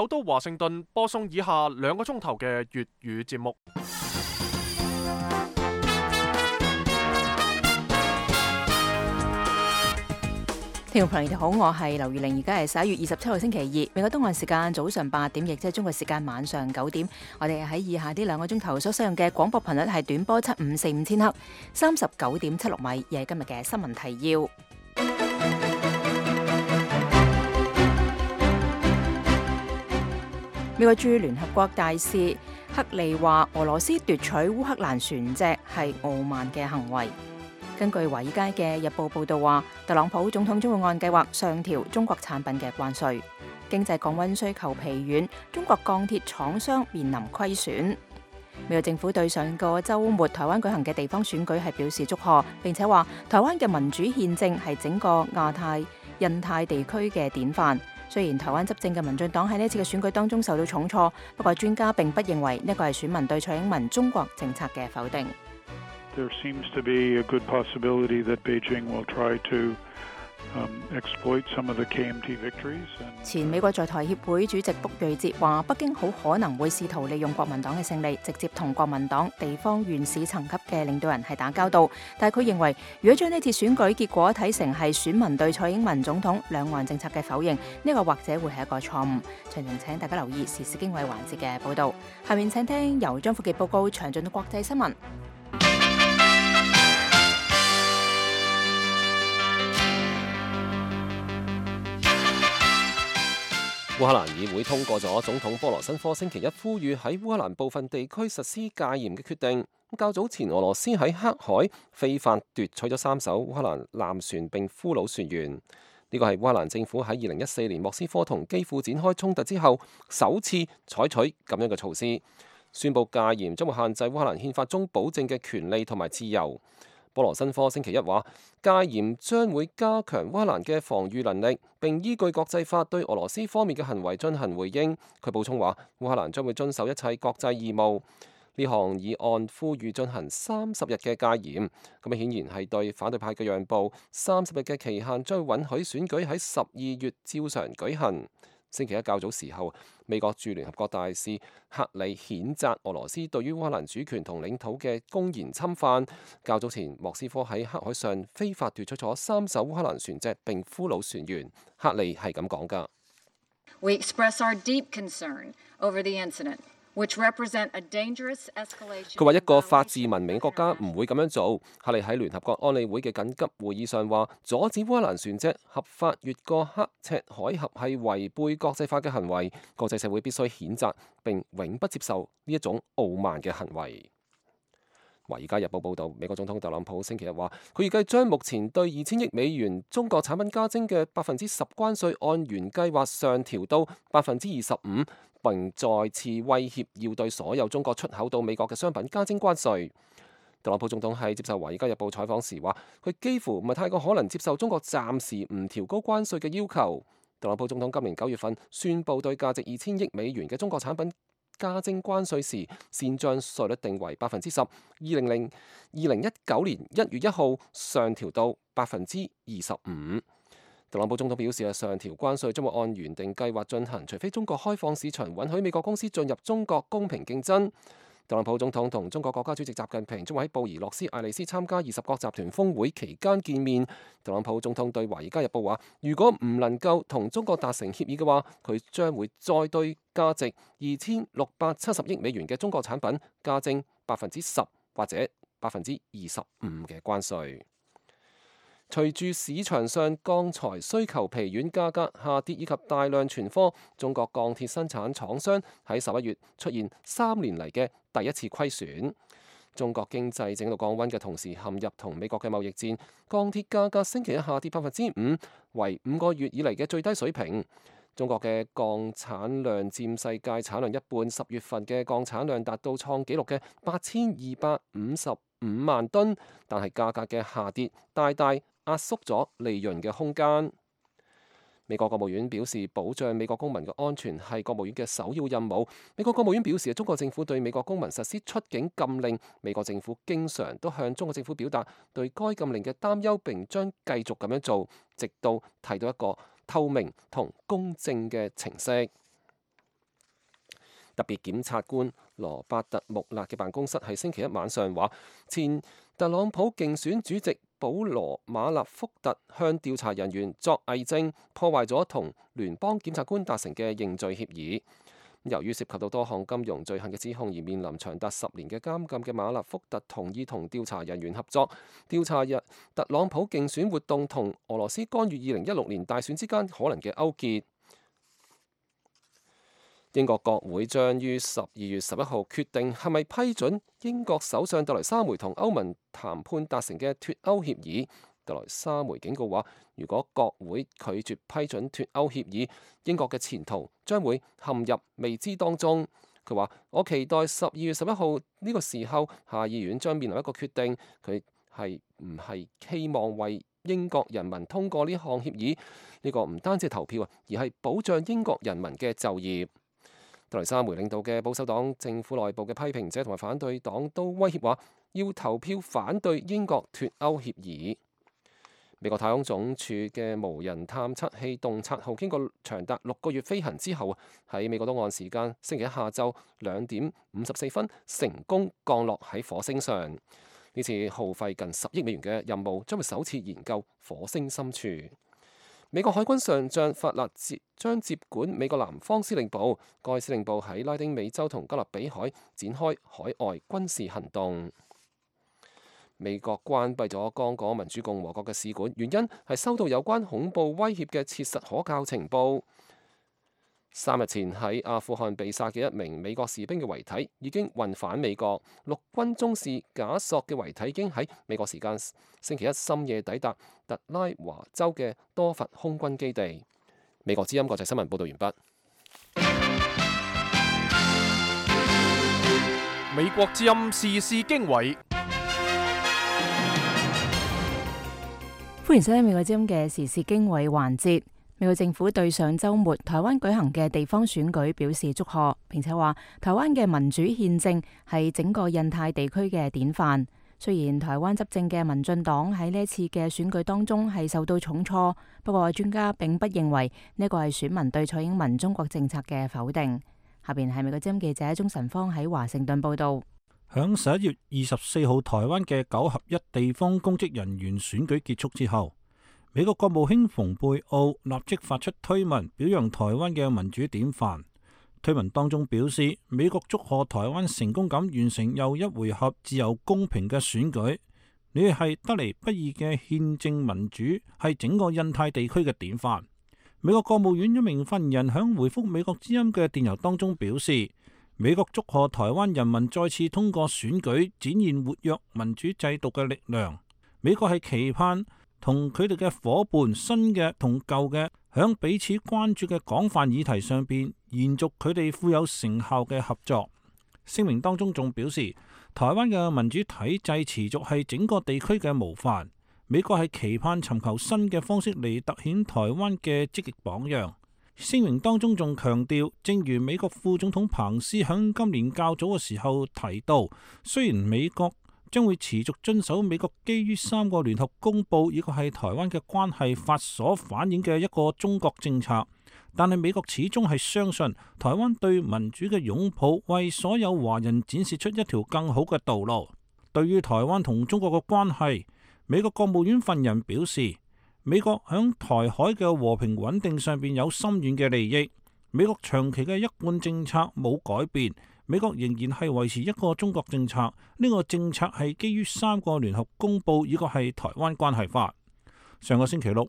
首都華盛頓播送以下2個鐘頭嘅粵語節目。聽眾朋友你好，我係劉月玲，而家係11月27號星期二，美國東岸時間早上8點，亦即係中國時間晚上9點。我哋喺以下呢2個鐘頭所使用嘅廣播頻率係短波7545千赫，39.76米，而係今日嘅新聞提要。美國駐聯合國大使克利話，俄羅斯奪取烏克蘭船隻係傲慢嘅行為。根據華爾街嘅日報報道話，特朗普總統將會按計劃上調中國產品嘅關稅。經濟降溫需求疲軟，中國鋼鐵廠商面臨虧損。美國政府對上個週末台灣舉行嘅地方選舉係表示祝賀，並且話台灣嘅民主憲政係整個亞太、印太地區嘅典範。雖然台灣執政嘅民進黨喺呢次嘅選舉當中受到重挫，不過專家並不認為呢個係選民對蔡英文中國政策嘅否定。There seems to be a good possibility that Beijing will try to exploit some of the KMT victories. 前美國在台協會主席卜瑞哲話，北京好可能會試圖利用國民黨嘅勝利，直接同國民黨地方縣市層級嘅領導人係打交道。但係佢認為，如果將呢次選舉結果睇成係選民對蔡英文總統兩岸政策嘅否認，呢個或者會係一個錯誤。詳情請大家留意時事經緯環節嘅報導。下面請聽由張富傑報告詳盡嘅國際新聞。烏克蘭議會通過咗總統波羅申科星期一呼籲喺烏克蘭部分地區實施戒嚴嘅決定。較早前，俄羅斯喺黑海非法奪取咗3艘烏克蘭艦船並俘虜船員。呢個係烏克蘭政府喺2014年莫斯科同基輔展開衝突之後首次採取咁樣嘅措施，宣布戒嚴將會限制烏克蘭憲法中保證嘅權利同埋自由。波羅申科星期一話，戒嚴將會加強烏克蘭嘅防禦能力，並依據國際法對俄羅斯方面嘅行為進行回應。佢補充話，烏克蘭將會遵守一切國際義務。呢項議案呼籲進行30日嘅戒嚴，咁顯然係對反對派嘅讓步。30日嘅期限將會允許選舉喺12月照常舉行。星期一較早時候，美國駐聯合國大使克里譴責俄羅斯對於烏克蘭主權同領土嘅公然侵犯。較早前，莫斯科喺黑海上非法奪取咗3艘烏克蘭船隻並俘虜船員。克里係咁講㗎。We express our deep concern over the incident. 佢話一個法治文明國家唔會咁樣做。克里喺聯合國安理會嘅緊急會議上話，阻止烏克蘭船隻合法越過刻赤海峽係違背國際法嘅行為，國際社會必須譴責並永不接受呢一種傲慢嘅行為。《華爾街日報》報導，美國總統特朗普星期日話，佢預計將目前對2000億美元中國產品加徵嘅10%關稅按原計劃上調到25%，並再次威脅要對所有中國出口到美國嘅商品加徵關稅。特朗普總統喺接受《華爾街日報》採訪時話，佢幾乎唔係太過可能接受中國暫時唔調高關稅嘅要求。特朗普總統今年9月份宣布對價值2000億美元嘅中國產品加徵關稅時，先將稅率定為10%，2019年1月1號上調到25%。特朗普總統表示，上調關稅將會按原定計劃進行，除非中國開放市場，允許美國公司進入中國公平競爭。特朗普總統同中國國家主席習近平將會喺布宜諾斯艾利斯參加20國集團峰會期間見面。特朗普總統對《華爾街日報》話，如果唔能夠同中國達成協議嘅話，佢將會再對價值2670億美元嘅中國產品加徵10%或者25%嘅關稅。隨住市場上鋼材需求疲軟、價格下跌以及大量存貨，中國鋼鐵生產廠商喺11月出現3年嚟嘅第一次虧損。中國經濟正喺度降溫嘅同時，陷入同美國嘅貿易戰，鋼鐵價格星期一下跌5%，為5個月以嚟嘅最低水平。中國嘅鋼產量佔世界產量一半，10月份嘅鋼產量達到創紀錄嘅8255萬噸，但係價格嘅下跌大大壓縮咗利潤嘅空間。美國國務院表示，保障美國公民嘅安全係國務院嘅首要任務。美國國務院表示，中國政府對美國公民實施出境禁令，美國政府經常都向中國政府表達對該禁令嘅擔憂，並將繼續咁樣做，直到睇到一個透明同公正嘅程式。特別檢察官羅伯特穆勒嘅辦公室喺星期一晚上話，前特朗普競選主席保羅馬納福特向調查人員作偽證，破壞咗同聯邦檢察官達成嘅認罪協議。由於涉及到多項金融罪行嘅指控而面臨長達10年嘅監禁嘅馬納福特同意同調查人員合作，調查特朗普競選活動同俄羅斯干預2016年大選之間可能嘅勾結。英國國會將於12月11號決定係咪批准英國首相特蕾莎梅同歐盟談判達成嘅脫歐協議。特蕾莎梅警告話，如果國會拒絕批准脫歐協議，英國嘅前途將會陷入未知當中。佢話：我期待12月11號呢個時候，下議院將面臨一個決定，佢係唔係希望為英國人民通過呢項協議？呢個唔單止係投票啊，而係保障英國人民嘅就業。特蕾莎梅領導嘅保守黨政府內部嘅批評者同埋反對黨都威脅話，要投票反對英國脫歐協議。美國太空總署嘅無人探測器洞察號經過長達6個月飛行之後，喺美國東岸時間星期一下晝2點54分成功降落喺火星上。呢次耗費近10億美元嘅任務將會首次研究火星深處。美國海軍上將法勒將接管美國南方司令部，該司令部喺拉丁美洲同加勒比海展開海外軍事行動。美國關閉咗剛果民主共和國嘅使館，原因係收到有關恐怖威脅嘅切實可靠情報。3日前喺阿富汗被殺嘅一名美國士兵嘅遺體已經運返美國，陸軍中士賈索嘅遺體已經喺美國時間星期一深夜抵達特拉華州嘅多佛空軍基地。美國之音國際新聞報道完畢。美國之音時事經緯。歡迎收聽美國之音嘅時事經緯環節。美國政府對上週末台灣舉行嘅地方選舉表示祝賀，並且話台灣嘅民主憲政係整個印太地區嘅典範。雖然台灣執政嘅民進黨喺呢一次嘅選舉當中係受到重挫，不過專家並不認為呢個係選民對蔡英文中國政策嘅否定。下邊係美國之音記者鍾晨芳喺華盛頓報道。響11月24號台灣嘅9合1地方公職人員選舉結束之後，美國國務卿蓬佩奧立即發出推文表揚台灣嘅民主典範。推文當中表示，美國祝賀台灣成功咁完成又一回合自由公平嘅選舉，你哋係得嚟不易嘅憲政民主，係整個印太地區嘅典範。美國國務院一名發言人響回覆美國之音嘅電郵當中表示，美國祝賀台灣人民再次通過選舉，展現活躍民主制度嘅力量。美國係期盼同佢哋嘅夥伴，新嘅同舊嘅，響彼此關注嘅廣泛議題上邊，延續佢哋富有成效嘅合作。聲明當中仲表示，台灣嘅民主體制持續係整個地區嘅模範。美國係期盼尋求新嘅方式嚟凸顯台灣嘅積極榜樣。聲明當中仲強調，正如美國副總統彭斯響今年較早嘅時候提到，雖然美國將會持續遵守美國基於3個聯合公報以及係台灣嘅關係法所反映嘅一個中國政策，但係美國始終係相信台灣對民主嘅擁抱，為所有華人展示出一條更好嘅道路。對於台灣同中國嘅關係，美國國務院發言人表示，美國響台海嘅和平穩定上邊有深遠嘅利益。美國長期嘅一貫政策冇改變，美國仍然係維持一個中國政策。呢個政策係基於3個聯合公報，以及係台灣關係法。上個星期六，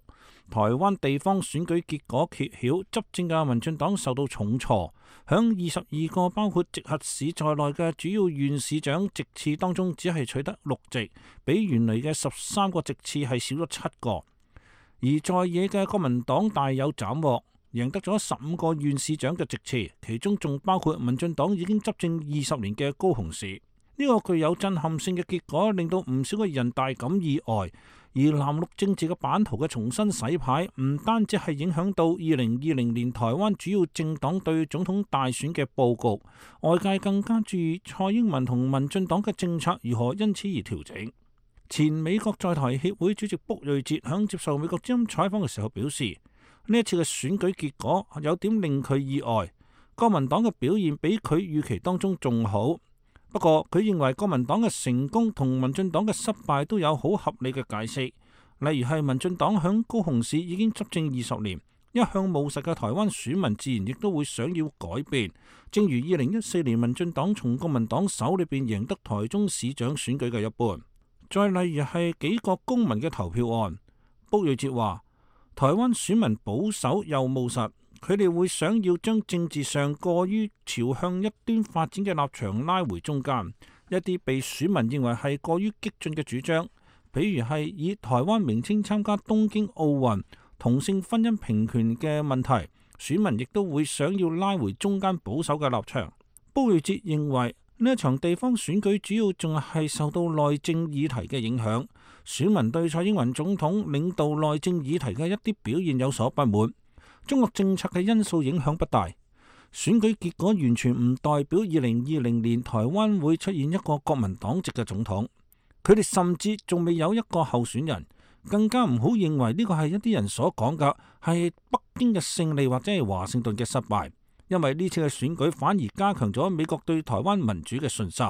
台灣地方選舉結果揭曉，執政嘅民進黨受到重挫，響22個包括直轄市在內嘅主要縣市長席次當中，只係取得6席，比原來嘅13個席次係少咗7個。而在野嘅國民黨大有斬獲，贏得咗15個縣市長嘅席次，其中仲包括民進黨已經執政20年嘅高雄市。呢個具有震撼性嘅結果，令到唔少嘅人大感意外。而藍綠政治嘅版圖嘅重新洗牌，唔單止係影響到2020年台灣主要政黨對總統大選嘅佈局，外界更加注意蔡英文同民進黨嘅政策如何因此而調整。前美國在台協會主席卜瑞哲響接受美國之音採訪嘅時候表示，呢一次嘅選舉結果有點令佢意外。國民黨嘅表現比佢預期當中仲好。不過佢認為國民黨嘅成功同民進黨嘅失敗都有好合理嘅解釋，例如係民進黨響高雄市已經執政20年，一向務實嘅台灣選民自然亦都會想要改變，正如2014年民進黨從國民黨手裏邊贏得台中市長選舉嘅一般。再例如係幾個公民嘅投票案，卜瑞哲話台灣選民保守又務實，佢哋會想要將政治上過於朝向一端發展嘅立場拉回中間，一啲被選民認為係過於激進嘅主張，譬如係以台灣名稱參加東京奧運、同性婚姻平權嘅問題，選民亦都會想要拉回中間保守嘅立場。卜瑞哲認為呢一場地方選舉主要仲係受到內政議題嘅影響，選民對蔡英文總統領導內政議題嘅一啲表現有所不滿，中國政策嘅因素影響不大。選舉結果完全唔代表2020年台灣會出現一個國民黨籍嘅總統，佢哋甚至仲未有一個候選人，更加唔好認為呢個係一啲人所講嘅係北京嘅勝利或者係華盛頓嘅失敗，因為呢次嘅選舉反而加強咗美國對台灣民主嘅信心。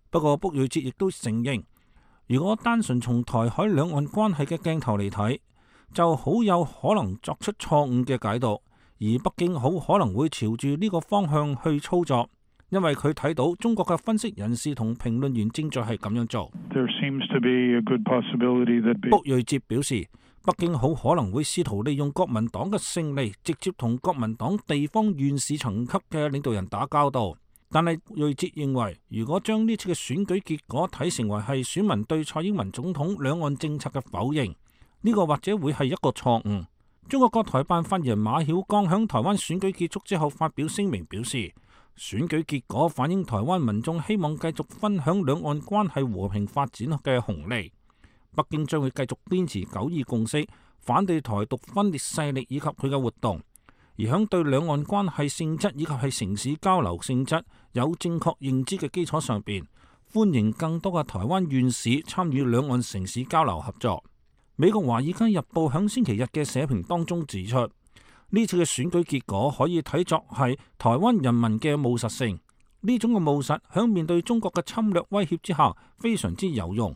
不過卜瑞哲亦都承認，如果單純從台海兩岸關係嘅鏡頭嚟睇，就好有可能作出錯誤嘅解讀，而北京好可能會朝住呢個方向去操作，因為佢睇到中國嘅分析人士同評論員正在係咁樣做。卜瑞哲表示，北京好可能會試圖利用國民黨嘅勝利，直接同國民黨地方縣市層級嘅領導人打交道。但係瑞哲認為，如果將呢次嘅選舉結果睇成為係選民對蔡英文總統兩岸政策嘅否認，呢個或者會係一個錯誤。中國國台辦發言人馬曉光響台灣選舉結束之後發表聲明表示，選舉結果反映台灣民眾希望繼續分享兩岸關係和平發展嘅紅利。北京將會繼續堅持9·2共識，反對台獨分裂勢力以及佢嘅活動，而響對兩岸關係性質以及係城市交流性質有正確認知嘅基礎上邊，歡迎更多嘅台灣縣市參與兩岸城市交流合作。美國華爾街日報響星期日嘅社評當中指出，呢次嘅選舉結果可以睇作係台灣人民嘅務實性，呢種嘅務實響面對中國嘅侵略威脅之下非常之有用。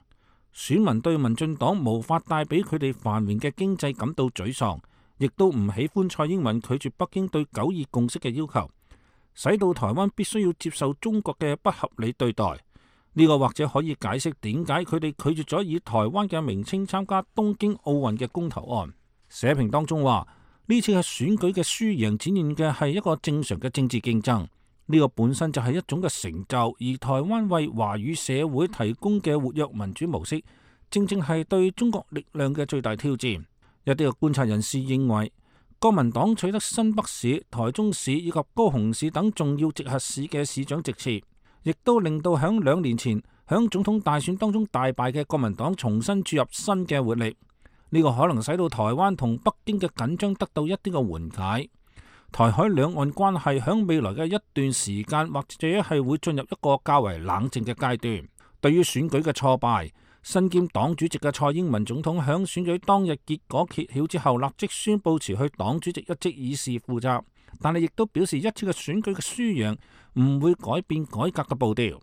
選民對民進黨無法帶俾佢哋繁榮嘅經濟感到沮喪，亦都唔喜歡蔡英文拒絕北京對9·2共識嘅要求，使到台灣必須要接受中國嘅不合理對待。呢個或者可以解釋點解佢哋拒絕咗以台灣嘅名稱參加東京奧運嘅公投案。社評當中話，呢次嘅選舉嘅輸贏展現嘅係一個正常嘅政治競爭，呢個本身就係一種嘅成就，而台灣為華語社會提供嘅活躍民主模式，正正係對中國力量嘅最大挑戰。一啲嘅觀察人士認為，國民黨取得新北市、台中市以及高雄市等重要直轄市嘅市長席次，亦都令到響2年前響總統大選當中大敗嘅國民黨重新注入新嘅活力。呢個可能使到台灣同北京嘅緊張得到一啲嘅緩解。台海兩岸關係響未來嘅一段時間，或者係會進入一個較為冷靜嘅階段。對於選舉嘅挫敗，身兼黨主席嘅蔡英文總統響選舉當日結果揭曉之後，立即宣布辭去黨主席一職以示負責。但係亦都表示一次嘅選舉嘅輸贏唔會改變改革嘅步調。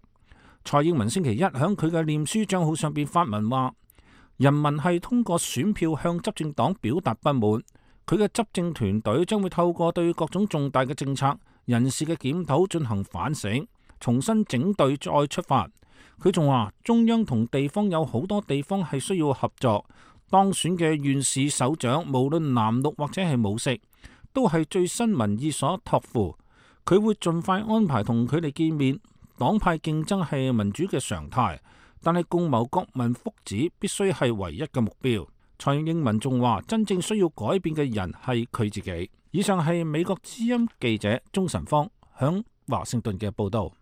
蔡英文星期一響佢嘅臉書賬號上邊發文話，人民係通過選票向執政黨表達不滿，佢嘅執政團隊將會透過對各種重大嘅政策、人事嘅檢討進行反省，重新整隊再出發。佢仲話，中央同地方有好多地方係需要合作，當選嘅縣市首長無論藍綠或者係武色，都係最新民意所託付。佢會盡快安排同佢哋見面。黨派競爭係民主嘅常態，但係共謀國民福祉必須係唯一嘅目標。蔡英文仲話，真正需要改變嘅人係佢自己。以上係美國之音記者鍾晨芳響華盛頓嘅報道。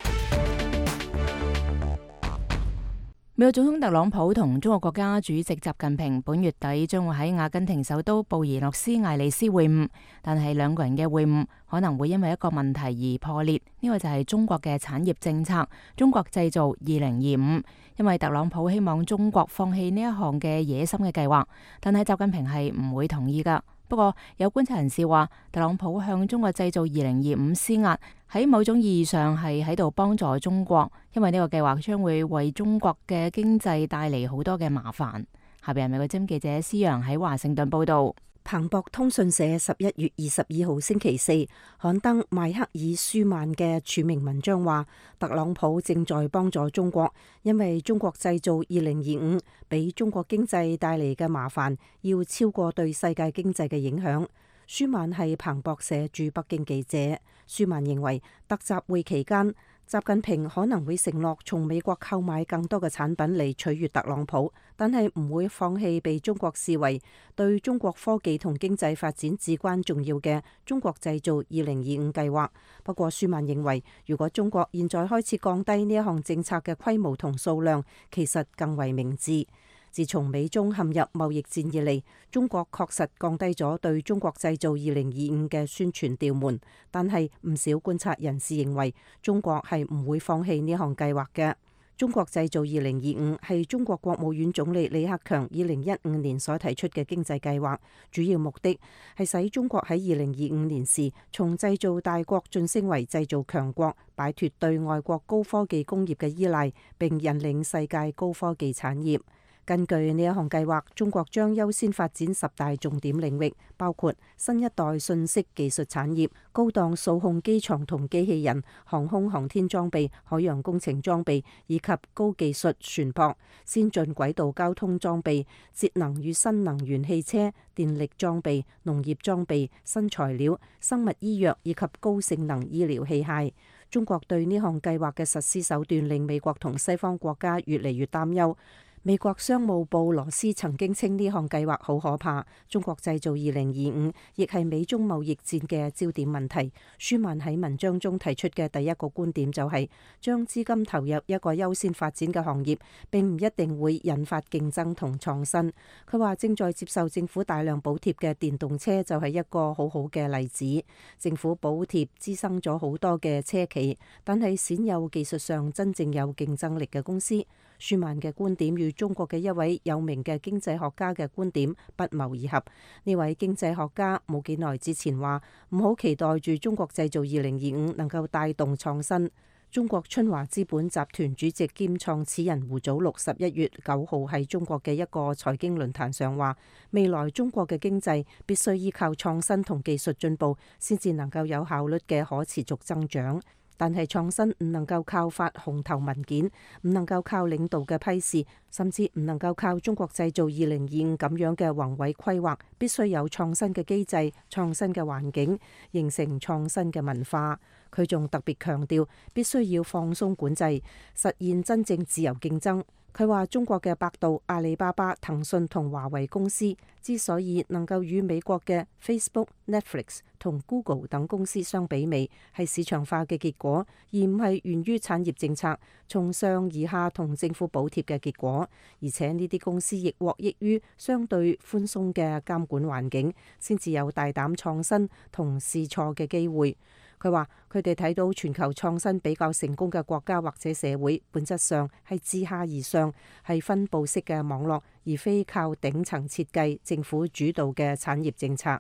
美國總統特朗普同中國國家主席習近平本月底將會喺阿根廷首都布宜諾斯艾利斯會晤，但係兩個人嘅會晤可能會因為一個問題而破裂，呢個就係中國嘅產業政策中國製造2025，因為特朗普希望中國放棄呢一項嘅野心嘅計劃，但係習近平係唔會同意噶。不過有觀察人士話，特朗普向中國製造2025施壓，喺某種意義上係喺度幫助中國，因為呢個計劃將會為中國嘅經濟帶嚟好多嘅麻煩。下邊係美國之音記者施洋喺華盛頓報道。彭博通訊社11月22號星期四刊登邁克爾舒曼嘅署名文章話，特朗普正在幫助中國，因為中國製造2025俾中國經濟帶嚟嘅麻煩要超過對世界經濟嘅影響。舒曼係彭博社駐北京記者。舒曼認為特集會期間，習近平可能會承諾從美國購買更多嘅產品嚟取悅特朗普，但係唔會放棄被中國視為對中國科技同經濟發展至關重要嘅中國製造2025計劃。不過舒曼認為，如果中國現在開始降低呢一項政策嘅規模同數量，其實更為明智。自從美中陷入貿易戰以嚟，中國確實降低咗對中國製造2025嘅宣傳調門，但係唔少觀察人士認為中國係唔會放棄呢項計劃嘅。中國製造2025係中國國務院總理李克強2015年所提出嘅經濟計劃，主要目的係使中國喺2025年時從製造大國晉升為製造強國，擺脫對外國高科技工業嘅依賴，並引領世界高科技產業。根據呢一項計劃，中國將優先發展10大重點領域，包括新一代信息技術產業、高檔數控機床同機器人、航空航天裝備、海洋工程裝備以及高技術船舶、先進軌道交通裝備、節能與新能源汽車、電力裝備、農業裝備、新材料、生物醫藥以及高性能醫療器械。中國對呢項計劃嘅實施手段令美國同西方國家越嚟越擔憂。美國商務部羅斯曾經稱呢項計劃好可怕。中國製造2025亦係美中貿易戰嘅焦點問題。舒曼喺文章中提出嘅第一個觀點就係將資金投入一個優先發展嘅行業並唔一定會引發競爭同創新。佢話正在接受政府大量補貼嘅電動車就係一個好好嘅例子。政府補貼滋生咗好多嘅車企，但係鮮有技術上真正有競爭力嘅公司。舒曼嘅觀點與中國嘅一位有名嘅經濟學家嘅觀點不謀而合。呢位經濟學家冇幾耐之前話唔好期待住中國製造2025能夠帶動創新。中國春華資本集團主席兼創始人胡祖祿11月9號喺中國嘅一個財經論壇上話，未來中國嘅經濟必須依靠創新同技術進步，先至能夠有效率嘅可持續增長。但係創新唔能夠靠發紅頭文件，唔能夠靠領導嘅批示，甚至唔能夠靠中國製造2025咁樣嘅宏偉規劃，必須有創新嘅機制、創新嘅環境，形成創新嘅文化。佢仲特別強調，必須要放鬆管制，實現真正自由競爭。佢話中國嘅百度、阿里巴巴、騰訊同華為公司之所以能夠與美國嘅 Facebook、Netflix 同 Google 等公司相媲美，係市場化嘅結果，而唔係源於產業政策從上而下同政府補貼嘅結果。而且呢啲公司亦獲益於相對寬鬆嘅監管環境，先至有大膽創新同試錯嘅機會。佢話：佢哋睇到全球創新比較成功嘅國家或者社會，本質上係自下而上，係分佈式嘅網絡，而非靠頂層設計、政府主導嘅產業政策。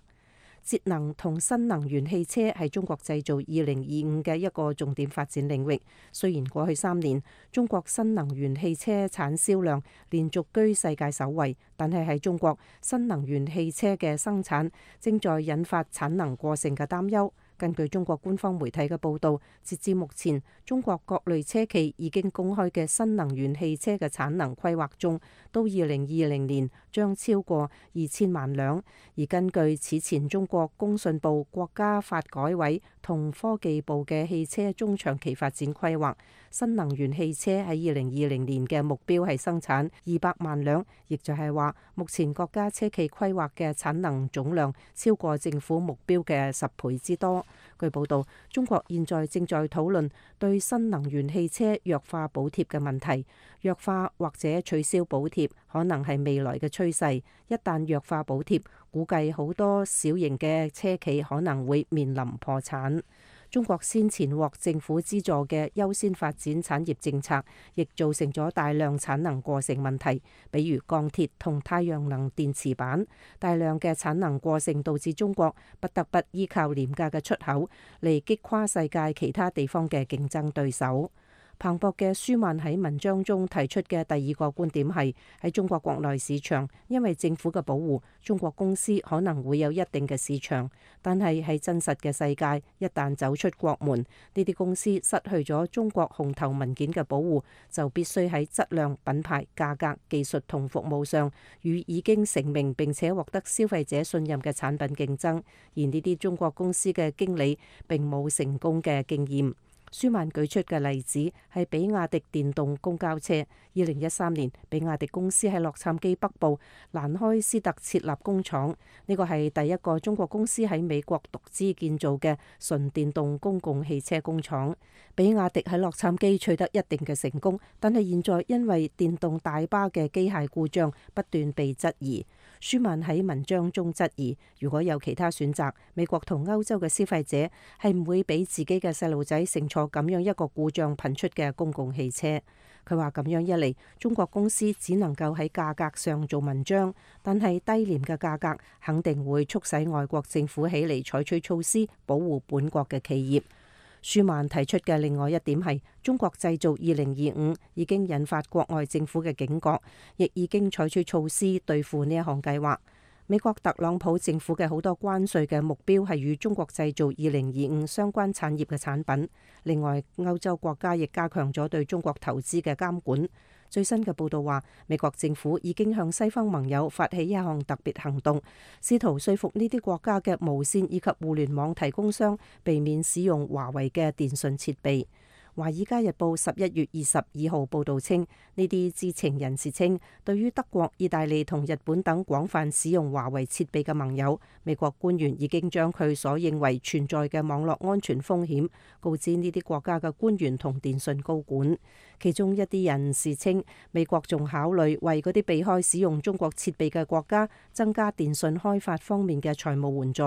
節能同新能源汽車係中國製造2025嘅一個重點發展領域。雖然過去3年中國新能源汽車產銷量連續居世界首位，但係喺中國新能源汽車嘅生產正在引發產能過剩嘅擔憂。根據中國官方媒體嘅報導，截至目前，中國各類車企已經公開嘅新能源汽車嘅產能規劃中，到2020年將超過2000萬輛。而根據此前中國工信部、國家發改委同科技部嘅汽車中長期發展規劃，新能源汽車喺2020年嘅目標係生產200萬輛，亦就係話目前國家車企規劃嘅產能總量超過政府目標嘅10倍之多。據報道，中國現在正在討論對新能源汽車弱化補貼嘅問題。弱化或者取消補貼可能係未來嘅趨勢。一旦弱化補貼，估計好多小型嘅車企可能會面臨破產。中國先前獲政府資助嘅優先發展產業政策，亦造成咗大量產能過剩問題，比如鋼鐵同太陽能電池板。大量嘅產能過剩導致中國不得不依靠廉價嘅出口嚟擊垮世界其他地方嘅競爭對手。彭博嘅舒曼喺文章中提出嘅第二個觀點係，喺中國國內市場，因為政府嘅保護，中國公司可能會有一定嘅市場，但係喺真實嘅世界，一旦走出國門，呢啲公司失去咗中國紅頭文件嘅保護，就必須喺質量、品牌、價格、技術同服務上與已經成名並且獲得消費者信任嘅產品競爭，而呢啲中國公司嘅經理並冇成功嘅經驗。舒曼舉出嘅例子係比亞迪電動公交車。2013年，比亞迪公司喺洛杉磯北部蘭開斯特設立工廠，呢個係第一個中國公司喺美國獨資建造嘅純電動公共汽車工廠。比亞迪喺洛杉磯取得一定嘅成功，但係現在因為電動大巴嘅機械故障不斷被質疑。舒曼喺文章中質疑，如果有其他選擇，美國同歐洲嘅消費者係唔會俾自己嘅細路仔乘坐咁樣一個故障頻出嘅公共汽車。佢話咁樣一嚟，中國公司只能夠喺價格上做文章，但係低廉嘅價格肯定會促使外國政府起嚟採取措施保護本國嘅企業。舒曼提出嘅另外一點係，中國製造2025已經引發國外政府嘅警覺，亦已經採取措施對付呢一項計劃。美國特朗普政府嘅好多關稅嘅目標係與中國製造2025相關產業嘅產品。另外，歐洲國家亦加強咗對中國投資嘅監管。最新嘅報道話，美國政府已經向西方盟友發起一項特別行動，試圖說服呢啲國家嘅無線以及互聯網提供商避免使用華為嘅電信設備。《華爾街日報》11月22號報導稱，呢啲知情人士稱，對於德國、意大利同日本等廣泛使用華為設備嘅盟友，美國官員已經將佢所認為存在嘅網絡安全風險告知呢啲國家嘅官員同電信高管。其中一啲人士稱，美國仲考慮為嗰啲避開使用中國設備嘅國家增加電信開發方面嘅財務援助。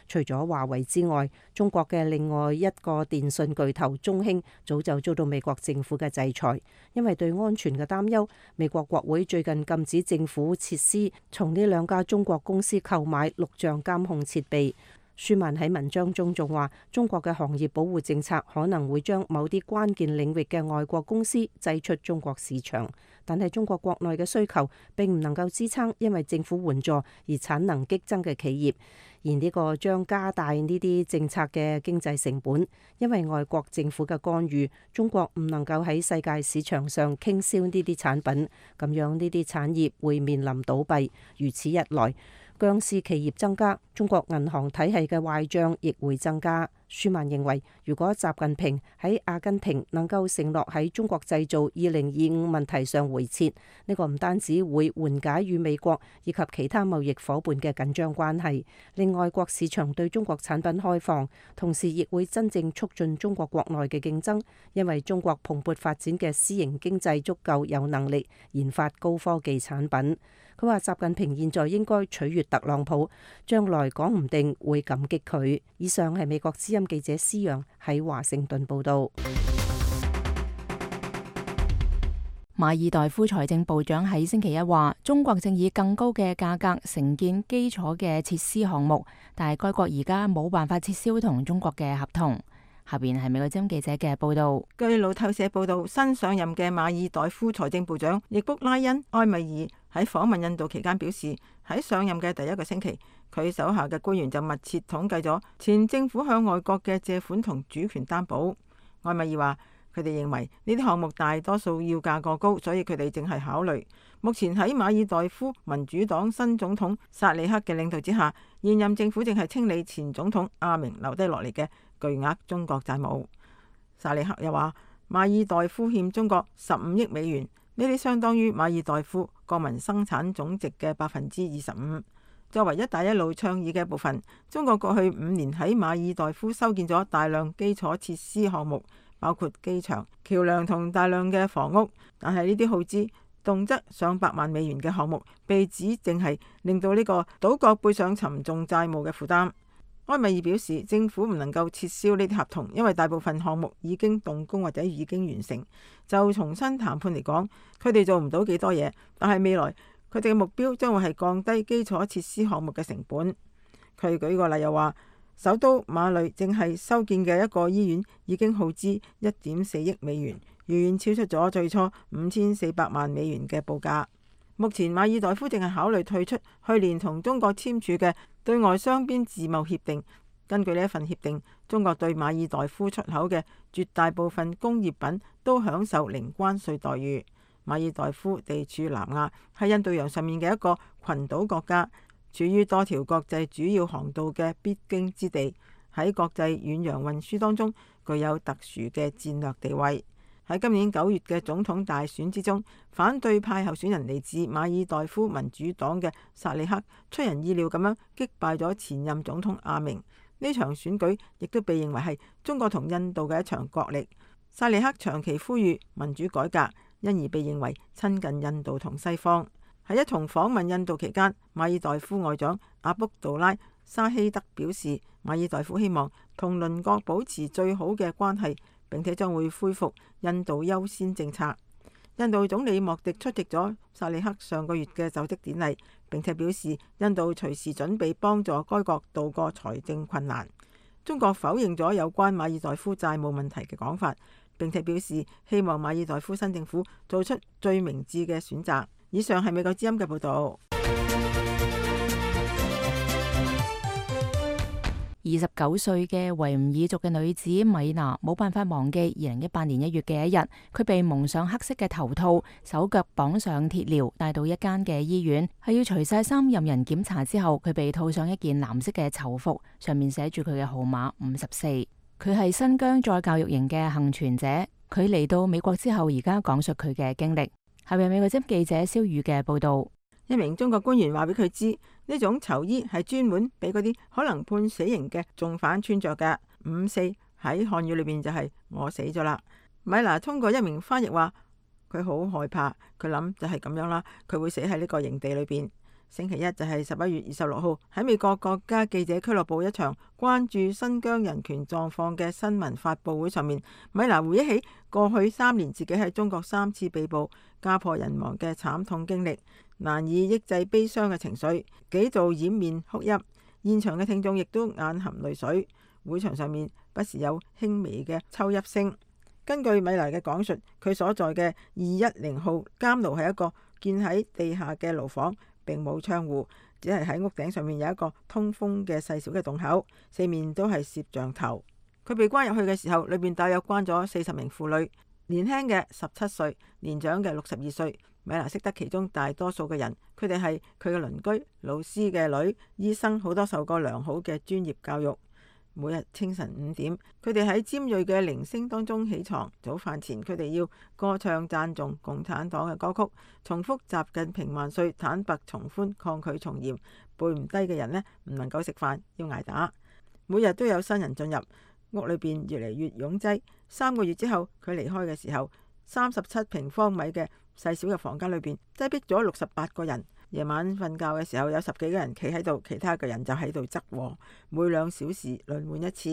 除咗華為之外，中國嘅另外一個電信巨頭中興早就遭到美國政府嘅制裁，因為對安全嘅擔憂，美國國會最近禁止政府設施從呢兩家中國公司購買錄像監控設備。舒曼喺文章中仲話，中國嘅行業保護政策可能會將某啲關鍵領域嘅外國公司擠出中國市場，但係中國國內嘅需求並唔能夠支撐因為政府援助而產能激增嘅企業，而呢個將加大呢啲政策嘅經濟成本，因為外國政府嘅干預，中國唔能夠喺世界市場上傾銷呢啲產品，咁樣呢啲產業會面臨倒閉，如此一來，僵屍企業增加，中國銀行體系嘅壞賬亦會增加。舒曼認為，如果習近平喺阿根廷能夠承諾喺中國製造2025問題上回撤，呢個唔單止會緩解與美國以及其他貿易夥伴嘅緊張關係，令外國市場對中國產品開放，同時亦會真正促進中國國內嘅競爭，因為中國蓬勃發展嘅私營經濟足夠有能力研發高科技產品。佢話習近平現在應該取悅特朗普，將來講唔定會感激佢。以上係美國之音記者施陽喺華盛頓報道。馬爾代夫財政部長喺星期一話，中國正以更高嘅價格承建基礎嘅設施項目，但係該國而家冇辦法撤銷同中國嘅合同。下邊係美國之音記者嘅報道。據路透社報道，新上任嘅馬爾代夫財政部長易卜拉恩埃米爾喺訪問印度期間表示，喺上任嘅第一個星期，佢手下嘅官員就密切統計咗前政府向外國嘅借款同主權擔保。埃米爾話，佢哋認為呢啲項目大多數要價過高，所以佢哋正係考慮。目前喺馬爾代夫民主黨新總統薩利克嘅領導之下，現任政府正係清理前總統阿明留低落嚟嘅巨額中國債務。薩利克又話，馬爾代夫欠中國15億美元，呢啲相當於馬爾代夫國民生產總值嘅25%。作為一帶一路倡議嘅一部分，中國過去5年喺馬爾代夫修建咗大量基礎設施項目，包括機場、橋樑同大量嘅房屋。但係呢啲耗資動輒上百萬美元嘅項目，被指淨係令到呢個島國背上沉重債務嘅負擔。埃米爾表示，政府唔能夠撤銷呢啲合同，因為大部分項目已經動工或者已經完成。就重新談判嚟講，佢哋做唔到幾多嘢，但係未來佢哋嘅目標將會係降低基礎設施項目嘅成本。佢舉個例又話，首都馬累正係修建嘅一個醫院已經耗資1.4億美元，遠遠超出咗最初5400萬美元嘅報價。目前馬爾代夫正係考慮退出去年同中國簽署嘅對外雙邊自貿協定。根據呢一份協定，中國對馬爾代夫出口嘅絕大部分工業品都享受零關稅待遇。馬爾代夫地處南亞，係印度洋上面嘅一個群島國家，處於多條國際主要航道嘅必經之地，喺國際遠洋運輸當中具有特殊嘅戰略地位。喺今年9月嘅總統大選之中，反對派候選人嚟自馬爾代夫民主黨嘅薩利克出人意料咁樣擊敗咗前任總統阿明。呢場選舉亦都被認為係中國同印度嘅一場角力。薩利克長期呼籲民主改革，因而被認為親近印度同西方。喺一同訪問印度期間，馬爾代夫外長阿卜杜拉沙希德表示，馬爾代夫希望同鄰國保持最好嘅關係，並且將會恢復印度優先政策。印度總理莫迪出席咗薩利克上個月嘅就職典禮，並且表示印度隨時準備幫助該國渡過財政困難。中國否認咗有關馬爾代夫債務問題嘅講法，並且表示希望馬爾代夫新政府做出最明智嘅選擇。以上係美國之音嘅報導。29歲嘅維吾爾族嘅女子米娜冇辦法忘記2018年1月嘅一日，佢被蒙上黑色嘅頭套，手腳綁上鐵鐐，帶到一間嘅醫院，係要除晒衫任人檢查之後，佢被套上一件藍色嘅囚服，上面寫住佢嘅號碼54。佢係新疆再教育營嘅幸存者，佢嚟到美國之後，而家講述佢嘅經歷。係咪美國之音記者蕭宇嘅報道？一名中國官員話俾佢知，呢種囚衣係專門俾嗰啲可能判死刑嘅重犯穿着嘅。54喺漢語裏邊就係我死咗啦。米娜通過一名翻譯話，佢好害怕，佢諗就係咁樣啦，佢會死喺呢個營地裏邊。星期一就係11月26號喺美國國家記者俱樂部一場關注新疆人權狀況嘅新聞發佈會上面，米娜回憶起過去3年自己喺中國3次被捕、家破人亡嘅慘痛經歷，難以抑制悲傷嘅情緒，幾度掩面哭泣。現場嘅聽眾亦都眼含淚水，會場上面不時有輕微嘅抽泣聲。根據米娜嘅講述，佢所在嘅210號監牢係一個建喺地下嘅牢房，並冇窗戶，只係喺屋頂上面有一個通風嘅細小嘅洞口，四面都係攝像頭。佢被關入去嘅時候，裏邊大約關咗40名婦女，年輕嘅17歲，年長嘅62歲。米娜識得其中大多數嘅人，佢哋係佢嘅鄰居、老師嘅女、醫生，好多受過良好嘅專業教育。每日清晨5點，佢哋喺尖銳嘅鈴聲當中起床。早飯前，佢哋要歌唱讚頌共產黨嘅歌曲，重複習近平萬歲、坦白從寬、抗拒從嚴。背唔低嘅人呢，唔能夠食飯，要挨打。每日都有新人進入，屋裏邊越嚟越擁擠。3個月之後，佢離開嘅時候，37平方米嘅細小嘅房間裏邊擠逼咗68個人。夜晚瞓覺嘅時候，有10幾個人企喺度，其他嘅人就喺度側臥，每2小時輪換一次。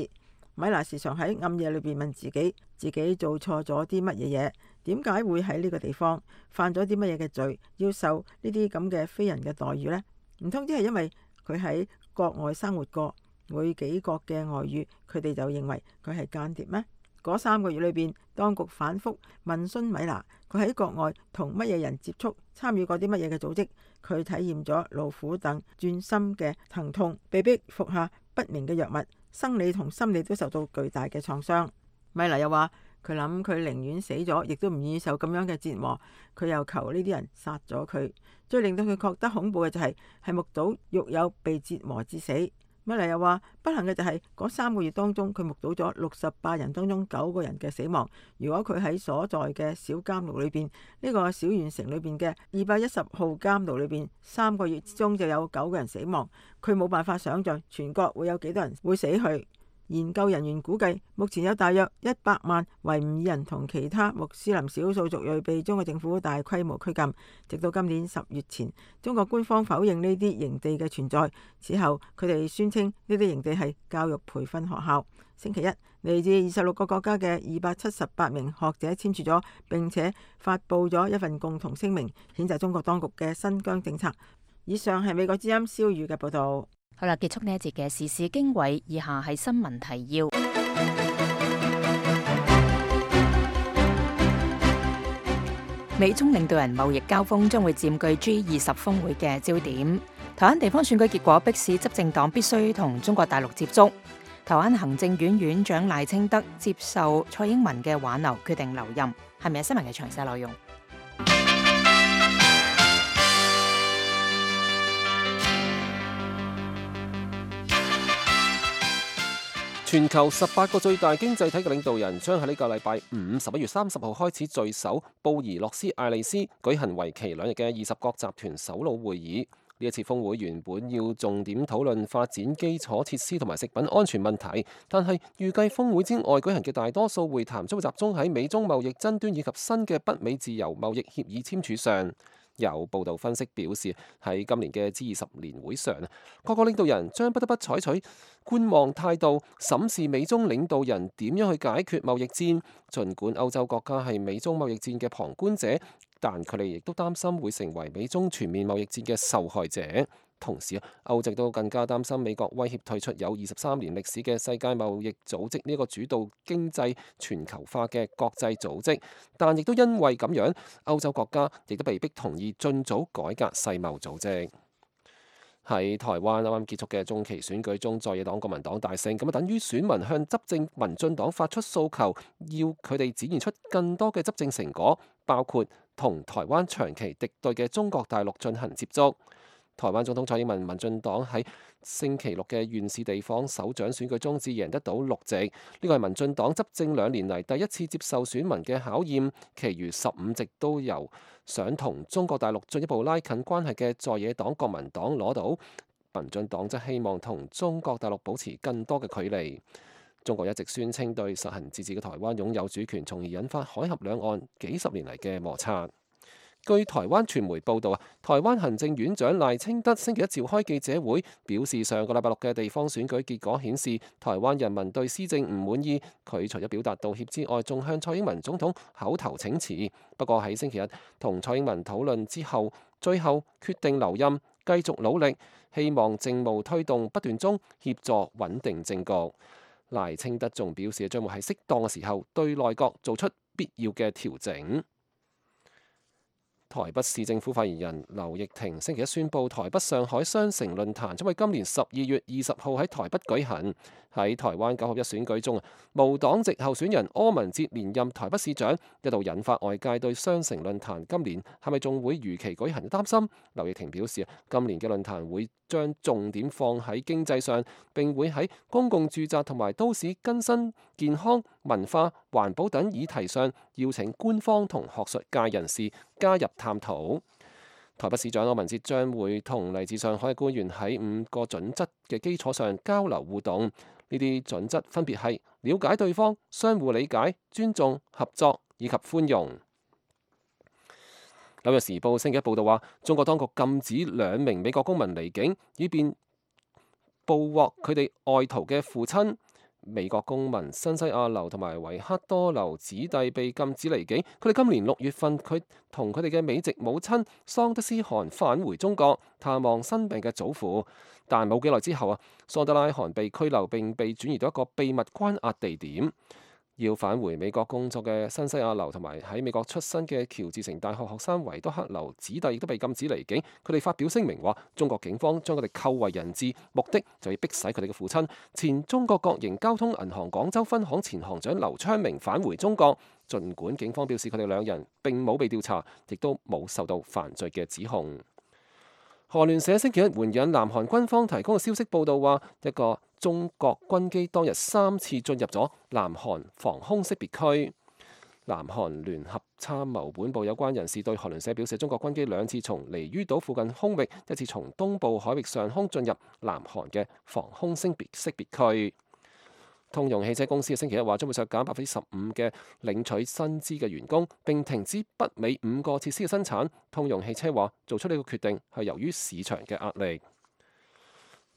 米娜時常喺暗夜裏邊問自己做錯咗啲乜嘢嘢，點解會喺呢個地方，犯咗啲乜嘢嘅罪，要受呢啲咁嘅非人嘅待遇呢？唔通只係因為佢喺國外生活過，會幾國嘅外語，佢哋就認為佢係間諜咩？嗰3個月裏邊，當局反覆問詢米娜，佢喺國外同乜嘢人接觸，參與過啲乜嘢嘅組織，佢體驗咗老虎等鑽心嘅疼痛，被逼服下不明嘅藥物，生理同心理都受到巨大嘅創傷。米娜又話，佢諗佢寧願死咗，亦都唔願意受咁樣嘅折磨。佢又求呢啲人殺咗佢。最令到佢覺得恐怖嘅就係目睹獄友被折磨致死。米娜又話，不幸嘅就係嗰3個月當中，佢目睹咗68人當中9個人嘅死亡。如果佢喺所在嘅小監牢裏邊，呢個小縣城裏邊嘅210號監牢裏邊，3個月之中就有9個人死亡，佢冇辦法想象全國會有幾多人會死去。研究人員估計，目前有大約100萬維吾爾人同其他穆斯林少數族裔被中國政府大規模拘禁。直到今年10月前，中國官方否認呢啲營地嘅存在。此後，佢哋宣稱呢啲營地係教育培訓學校。星期一，嚟自26個國家嘅278名學者簽署咗並且發布咗一份共同聲明，譴責中國當局嘅新疆政策。以上係美國之音蕭宇嘅報道。好啦，結束呢一節嘅時事經緯，以下係新聞提要。美中領導人貿易交鋒將會佔據 G20 峰會嘅焦點。台灣地方選舉結果迫使執政黨必須同中國大陸接觸。台灣行政院院長賴清德接受蔡英文嘅挽留，決定留任。係咪有新聞嘅詳細內容？全球18個最大經濟體嘅領導人將喺呢個禮拜五11月30號開始聚首布宜諾斯艾利斯，舉行為期2日嘅20國集團首腦會議。呢一次峰會原本要重點討論發展基礎設施同埋食品安全問題，但係預計峰會之外舉行嘅大多數會談將會集中喺美中貿易爭端以及新嘅北美自由貿易協議簽署上。有報道分析表示，喺今年嘅 G20 年會上，各個領導人將不得不採取觀望態度，審視美中領導人點樣去解決貿易戰。儘管歐洲國家係美中貿易戰嘅旁觀者，但佢哋亦都擔心會成為美中全面貿易戰嘅受害者。同時，歐洲都更加擔心美國威脅退出有23年歷史嘅世界貿易組織呢個主導經濟全球化嘅國際組織。但亦都因為咁樣，歐洲國家亦都被迫同意盡早改革世貿組織。喺台灣啱啱結束嘅中期選舉中，在野黨國民黨大勝，咁等於選民向執政民進黨發出訴求，要佢哋展現出更多嘅執政成果，包括同台灣長期敵對嘅中國大陸進行接觸。台灣總統蔡英文民進黨喺星期六嘅縣市地方首長選舉中只贏得到6席，呢個係民進黨執政2年嚟第一次接受選民嘅考驗，其餘15席都由想同中國大陸進一步拉近關係嘅在野黨國民黨攞到，民進黨則希望同中國大陸保持更多嘅距離。中國一直宣稱對實行自治嘅台灣擁有主權，從而引發海峽兩岸幾十年嚟嘅摩擦。據台灣傳媒報道，台灣行政院長賴清德星期一召開記者會，表示上個禮拜六嘅地方選舉結果顯示，台灣人民對施政唔滿意。佢除咗表達道歉之外，仲向蔡英文總統口頭請辭。不過喺星期日同蔡英文討論之後，最後決定留任，繼續努力，希望政務推動不斷中協助穩定政局。賴清德仲表示，將會喺適當嘅時候對內閣做出必要嘅調整。台北市政府發言人劉奕霆星期一宣布，台北上海雙城論壇將喺今年12月20號喺台北舉行。喺台灣9合1選舉中，無黨籍候選人柯文哲連任台北市長，一度引發外界對雙城論壇今年係咪仲會如期舉行嘅擔心。劉奕霆表示，今年嘅論壇會將重點放喺經濟上，並會喺公共住宅同埋都市更新、健康、文化、環保等議題上邀請官方同學術界人士加入探討。台北市長柯文哲將會同嚟自上海嘅官員喺5個準則嘅基礎上交流互動。呢啲準則分別係了解對方、相互理解、尊重、合作以及寬容。紐約時報星期一報道話，中國當局禁止2名美國公民離境，以便捕獲佢哋外逃嘅父親。美國公民新西亞留同埋維克多留子弟被禁止離境。佢哋今年6月份，佢同佢哋嘅美籍母親桑德斯汗返回中國探望生病嘅祖父，但冇幾耐之後桑德拉汗被拘留並被轉移到一個秘密關押地點。要返回美國工作嘅新西亞留同埋喺美國出身嘅喬治城大學學生維多克留子弟亦都被禁止離境。佢哋發表聲明話，中國警方將佢哋扣為人質，目的就要迫使佢哋嘅父親前中國國營交通銀行廣州分行前行長劉昌明返回中國。儘管警方表示佢哋2人並冇被調查，亦都冇受到犯罪嘅指控。韓聯社星期一援引南韓軍方提供嘅消息報道話，一個中國軍機當日3次進入咗南韓防空識別區。南韓聯合參謀本部有關人士對韓聯社表示，中國軍機2次從離於島附近空域，一次從東部海域上空進入南韓嘅防空識別區。通用汽車公司星期一話將會削減15%嘅領取薪資嘅員工，並停止北美5個設施嘅生產。通用汽車話做出呢個決定係由於市場嘅壓力。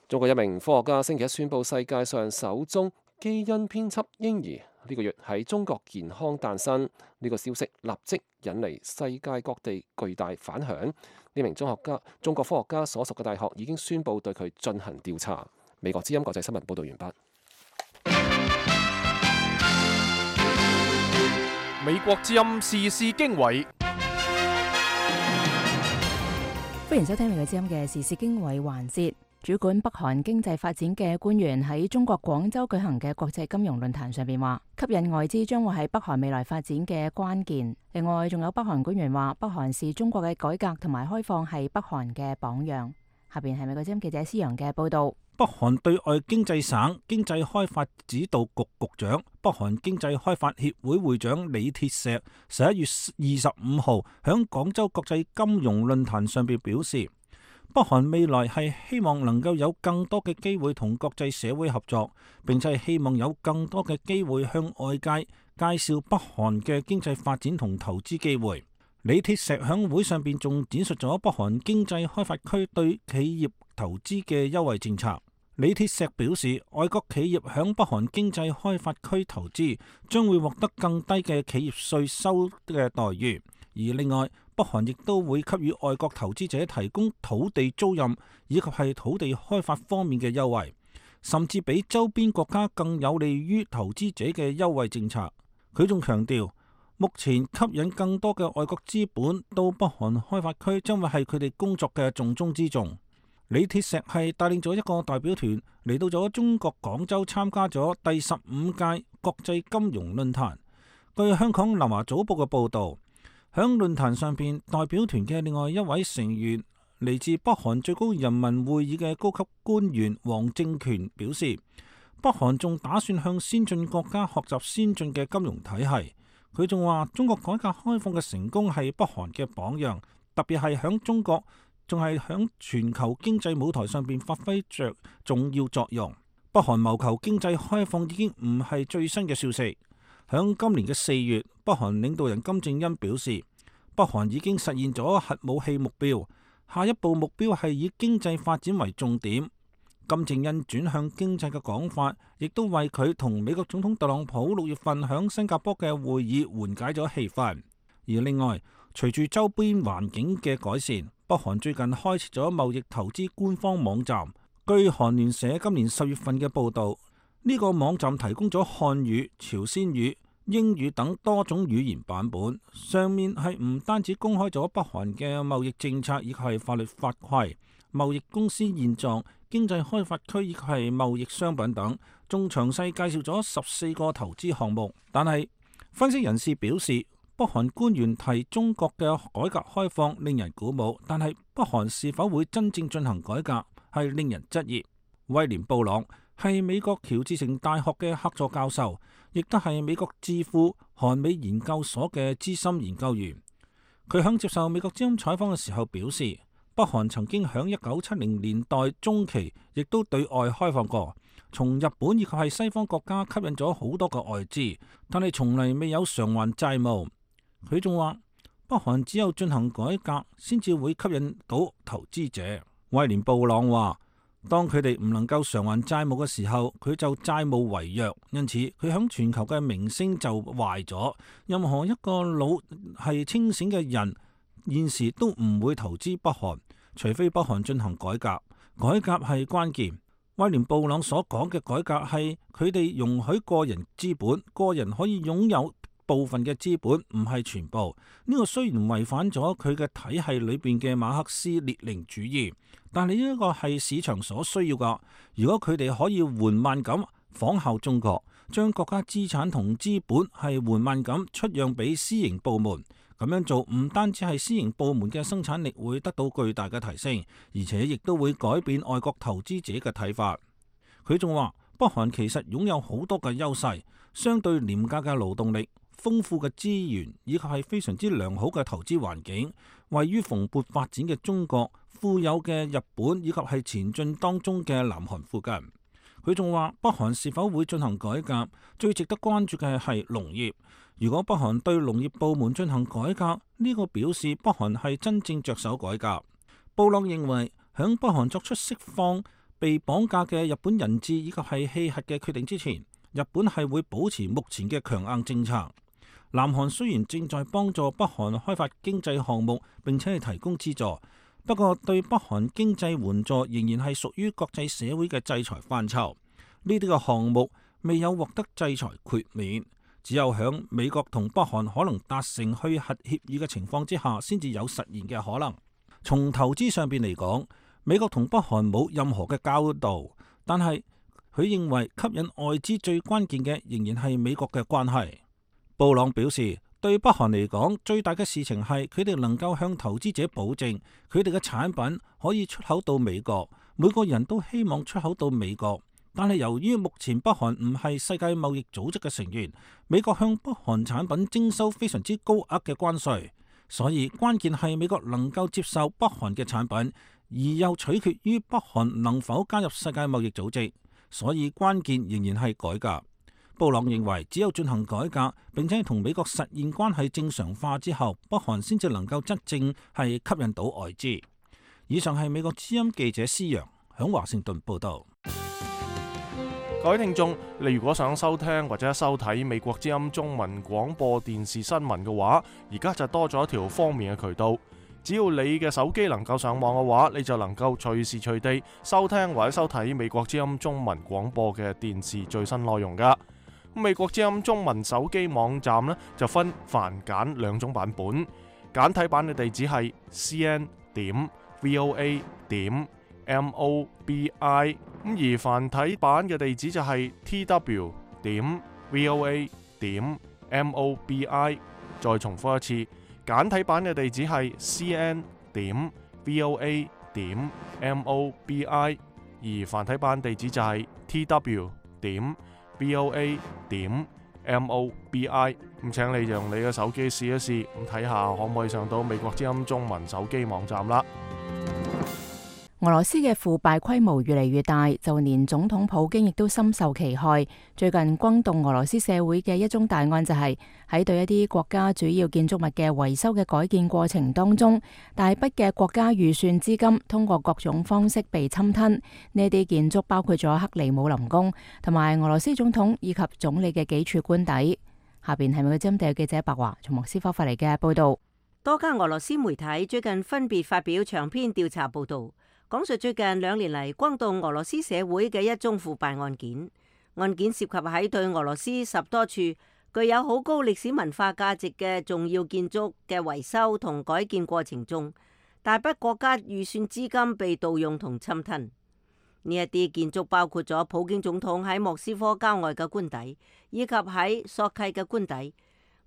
中國一名科學家星期一宣布世界上首宗基因編輯嬰兒呢個月喺中國健康誕生。呢個消息立即引嚟世界各地巨大反響。呢名中國科學家所屬嘅大學已經宣布對佢進行調查。美國之音國際新聞報道完畢。美國之音時事經緯，歡迎收聽美國之音嘅時事經緯環節。主管北韓經濟發展嘅官員喺中國廣州舉行嘅國際金融論壇上邊話，吸引外資將會係北韓未來發展嘅關鍵。另外，仲有北韓官員話，北韓視中國嘅改革同埋開放係北韓嘅榜樣。下邊係美國之音記者施陽嘅報道。北韓對外經濟省經濟開發指導局局長、北韓經濟開發協會會長李鐵石11月25號響廣州國際金融論壇上邊表示，北韓未來係希望能夠有更多嘅機會同國際社會合作，並且係希望有更多嘅機會向外界介紹北韓嘅經濟發展同投資機會。李鐵石響會上邊仲展述咗北韓經濟開發區對企業投資嘅優惠政策。李鐵石表示，外國企業響北韓經濟開發區投資將會獲得更低嘅企業稅收嘅待遇，而另外北韓亦都會給予外國投資者提供土地租賃以及係土地開發方面嘅優惠，甚至比周邊國家更有利於投資者嘅優惠政策。佢仲強調，目前吸引更多嘅外國資本到北韓開發區將會係佢哋工作嘅重中之重。李鐵石係帶領咗一個代表團嚟到咗中國廣州參加咗第15屆國際金融論壇。據香港南華早報嘅報導，響論壇上邊，代表團嘅另外一位成員嚟自北韓最高人民會議嘅高級官員黃正權表示，北韓仲打算向先進國家學習先進嘅金融體系。佢仲話，中國改革開放嘅成功係北韓嘅榜樣，特別係響中國仲係響全球經濟舞台上邊發揮着重要作用。北韓謀求經濟開放已經唔係最新嘅消息。響今年嘅4月，北韓領導人金正恩表示，北韓已經實現咗核武器目標，下一步目標係以經濟發展為重點。金正恩轉向經濟嘅講法，亦都為佢同美國總統特朗普6月份響新加坡嘅會議緩解咗氣氛。而另外，隨住周邊環境嘅改善，北韓最近開設咗貿易投資官方網站。據韓聯社今年10月份嘅報導，呢個網站提供咗漢語、朝鮮語、英語等多種語言版本，上面係唔單止公開咗北韓嘅貿易政策以及係法律法規、貿易公司現狀、經濟開發區以及係貿易商品等，仲詳細介紹咗14個投資項目。但係分析人士表示，北韓官員提中國嘅改革開放令人鼓舞，但係北韓是否會真正進行改革係令人質疑。威廉布朗係美國喬治城大學嘅客座教授，亦都係美國智庫韓美研究所嘅資深研究員。佢響接受美國之音採訪嘅時候表示，北韓曾經響1970年代中期亦都對外開放過，從日本以及係西方國家吸引咗好多個外資，但係從嚟未有償還債務。佢仲話，北韓只有進行改革先至會吸引到投資者。威廉布朗話，當佢哋唔能夠償還債務嘅時候，佢就債務違約，因此佢響全球嘅名聲就壞咗。任何一個腦係清醒嘅人，現時都唔會投資北韓，除非北韓進行改革。改革係關鍵。威廉布朗所講嘅改革係佢哋容許個人資本，個人可以擁有部分嘅資本，唔係全部。呢個雖然違反咗佢嘅體系裏邊嘅馬克思列寧主義，但係呢個係市場所需要噶。如果佢哋可以緩慢咁仿效中國，將國家資產同資本係緩慢咁出讓俾私營部門，咁樣做唔單止係私營部門嘅生產力會得到巨大嘅提升，而且亦都會改變外國投資者嘅睇法。佢仲話，北韓其實擁有好多嘅優勢，相對廉價嘅勞動力、豐富嘅資源以及係非常之良好嘅投資環境，位於蓬勃發展嘅中國、富有嘅日本以及係前進當中嘅南韓附近。佢仲話北韓是否會進行改革，最值得關注嘅係農業。如果北韓對農業部門進行改革，呢個表示北韓係真正着手改革。布朗認為，響北韓作出釋放被綁架嘅日本人質以及係棄核嘅決定之前，日本係會保持目前嘅強硬政策。南韓雖然正在幫助北韓開發經濟項目並且係提供資助，不過對北韓經濟援助仍然係屬於國際社會嘅制裁範疇。呢啲嘅項目未有獲得制裁豁免，只有響美國同北韓可能達成去核協議嘅情況之下，先至有實現嘅可能。從投資上邊嚟講，美國同北韓冇任何嘅交道，但係佢認為吸引外資最關鍵嘅仍然係美國嘅關係。布朗表示，對北韓嚟講，最大嘅事情係佢哋能夠向投資者保證，佢哋嘅產品可以出口到美國。每個人都希望出口到美國，但係由於目前北韓唔係世界貿易組織嘅成員，美國向北韓產品徵收非常之高額嘅關稅。所以關鍵係美國能夠接受北韓嘅產品，而又取決於北韓能否加入世界貿易組織。所以關鍵仍然係改革。布朗認為，只有進行改革，並且同美國實現關係正常化之後，北韓先至能夠真正係吸引到外資。以上係美國之音記者施陽響華盛頓報道。各位聽眾，你如果想收聽或者收睇美國之音中文廣播電視新聞嘅話，而家就多咗一條方便嘅渠道。只要你嘅手機能夠上網嘅話，你就能夠隨時隨地收聽或者收睇美國之音中文廣播嘅電視最新內容噶。美國之音中文手機網站呢，就分繁簡兩種版本，簡體版嘅地址係 cn.voa.mobi， 而繁體版嘅地址就係 tw.voa.mobi。 再重複一次，簡體版嘅地址係 cn.voa.mobi， 而繁體版地址就係 tw.voa.mobi。 咁請你用你嘅手機試一試，咁睇下可唔可以上到美國之音中文手機網站啦。俄羅斯嘅腐敗規模越嚟越大，就連總統普京亦都深受其害。最近轟動俄羅斯社會嘅一宗大案就係喺對一啲國家主要建築物嘅維修嘅改建過程當中，大筆嘅國家預算資金通過各種方式被侵吞。呢啲建築包括咗克里姆林宮同埋俄羅斯總統以及總理嘅幾處官邸。下邊係美國針對記者白華從莫斯科發嚟嘅報道。多家俄羅斯媒體最近分別發表長篇調查報道，講述最近2年嚟轟動俄羅斯社會嘅一宗腐敗案件。案件涉及喺對俄羅斯10多處具有好高歷史文化價值嘅重要建築嘅維修同改建過程中，大筆國家預算資金被盜用同侵吞。呢一啲建築包括咗普京總統喺莫斯科郊外嘅官邸，以及喺索契嘅官邸；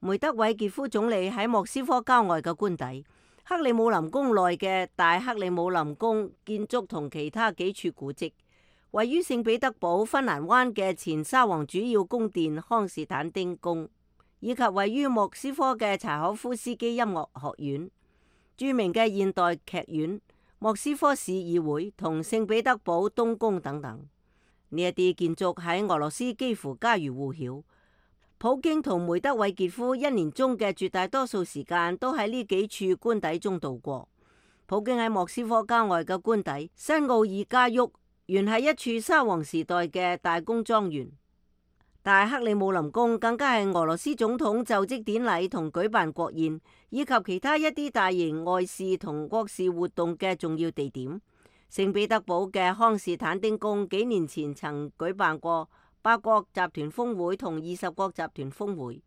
梅德韋傑夫總理喺莫斯科郊外嘅官邸；克里姆林宮內嘅大克里姆林宮建築同其他幾處古蹟；位於聖彼得堡芬蘭灣嘅前沙皇主要宮殿康士坦丁宮，以及位於莫斯科嘅柴可夫斯基音樂學院、著名嘅現代劇院、莫斯科市議會同聖彼得堡東宮等等。呢一啲建築喺俄羅斯幾乎家喻戶曉。普京同梅德韋傑夫1年中嘅絕大多數時間都喺呢幾處官邸中度過。普京喺莫斯科郊外嘅官邸新奧爾加沃，原係一處沙皇時代嘅大公莊園。大克里姆林宮更加係俄羅斯總統就職典禮同舉辦國宴，以及其他一啲大型外事同國事活動嘅重要地點。聖彼得堡嘅康士坦丁宮幾年前曾舉辦過8國集團峰會同20國集團峰會。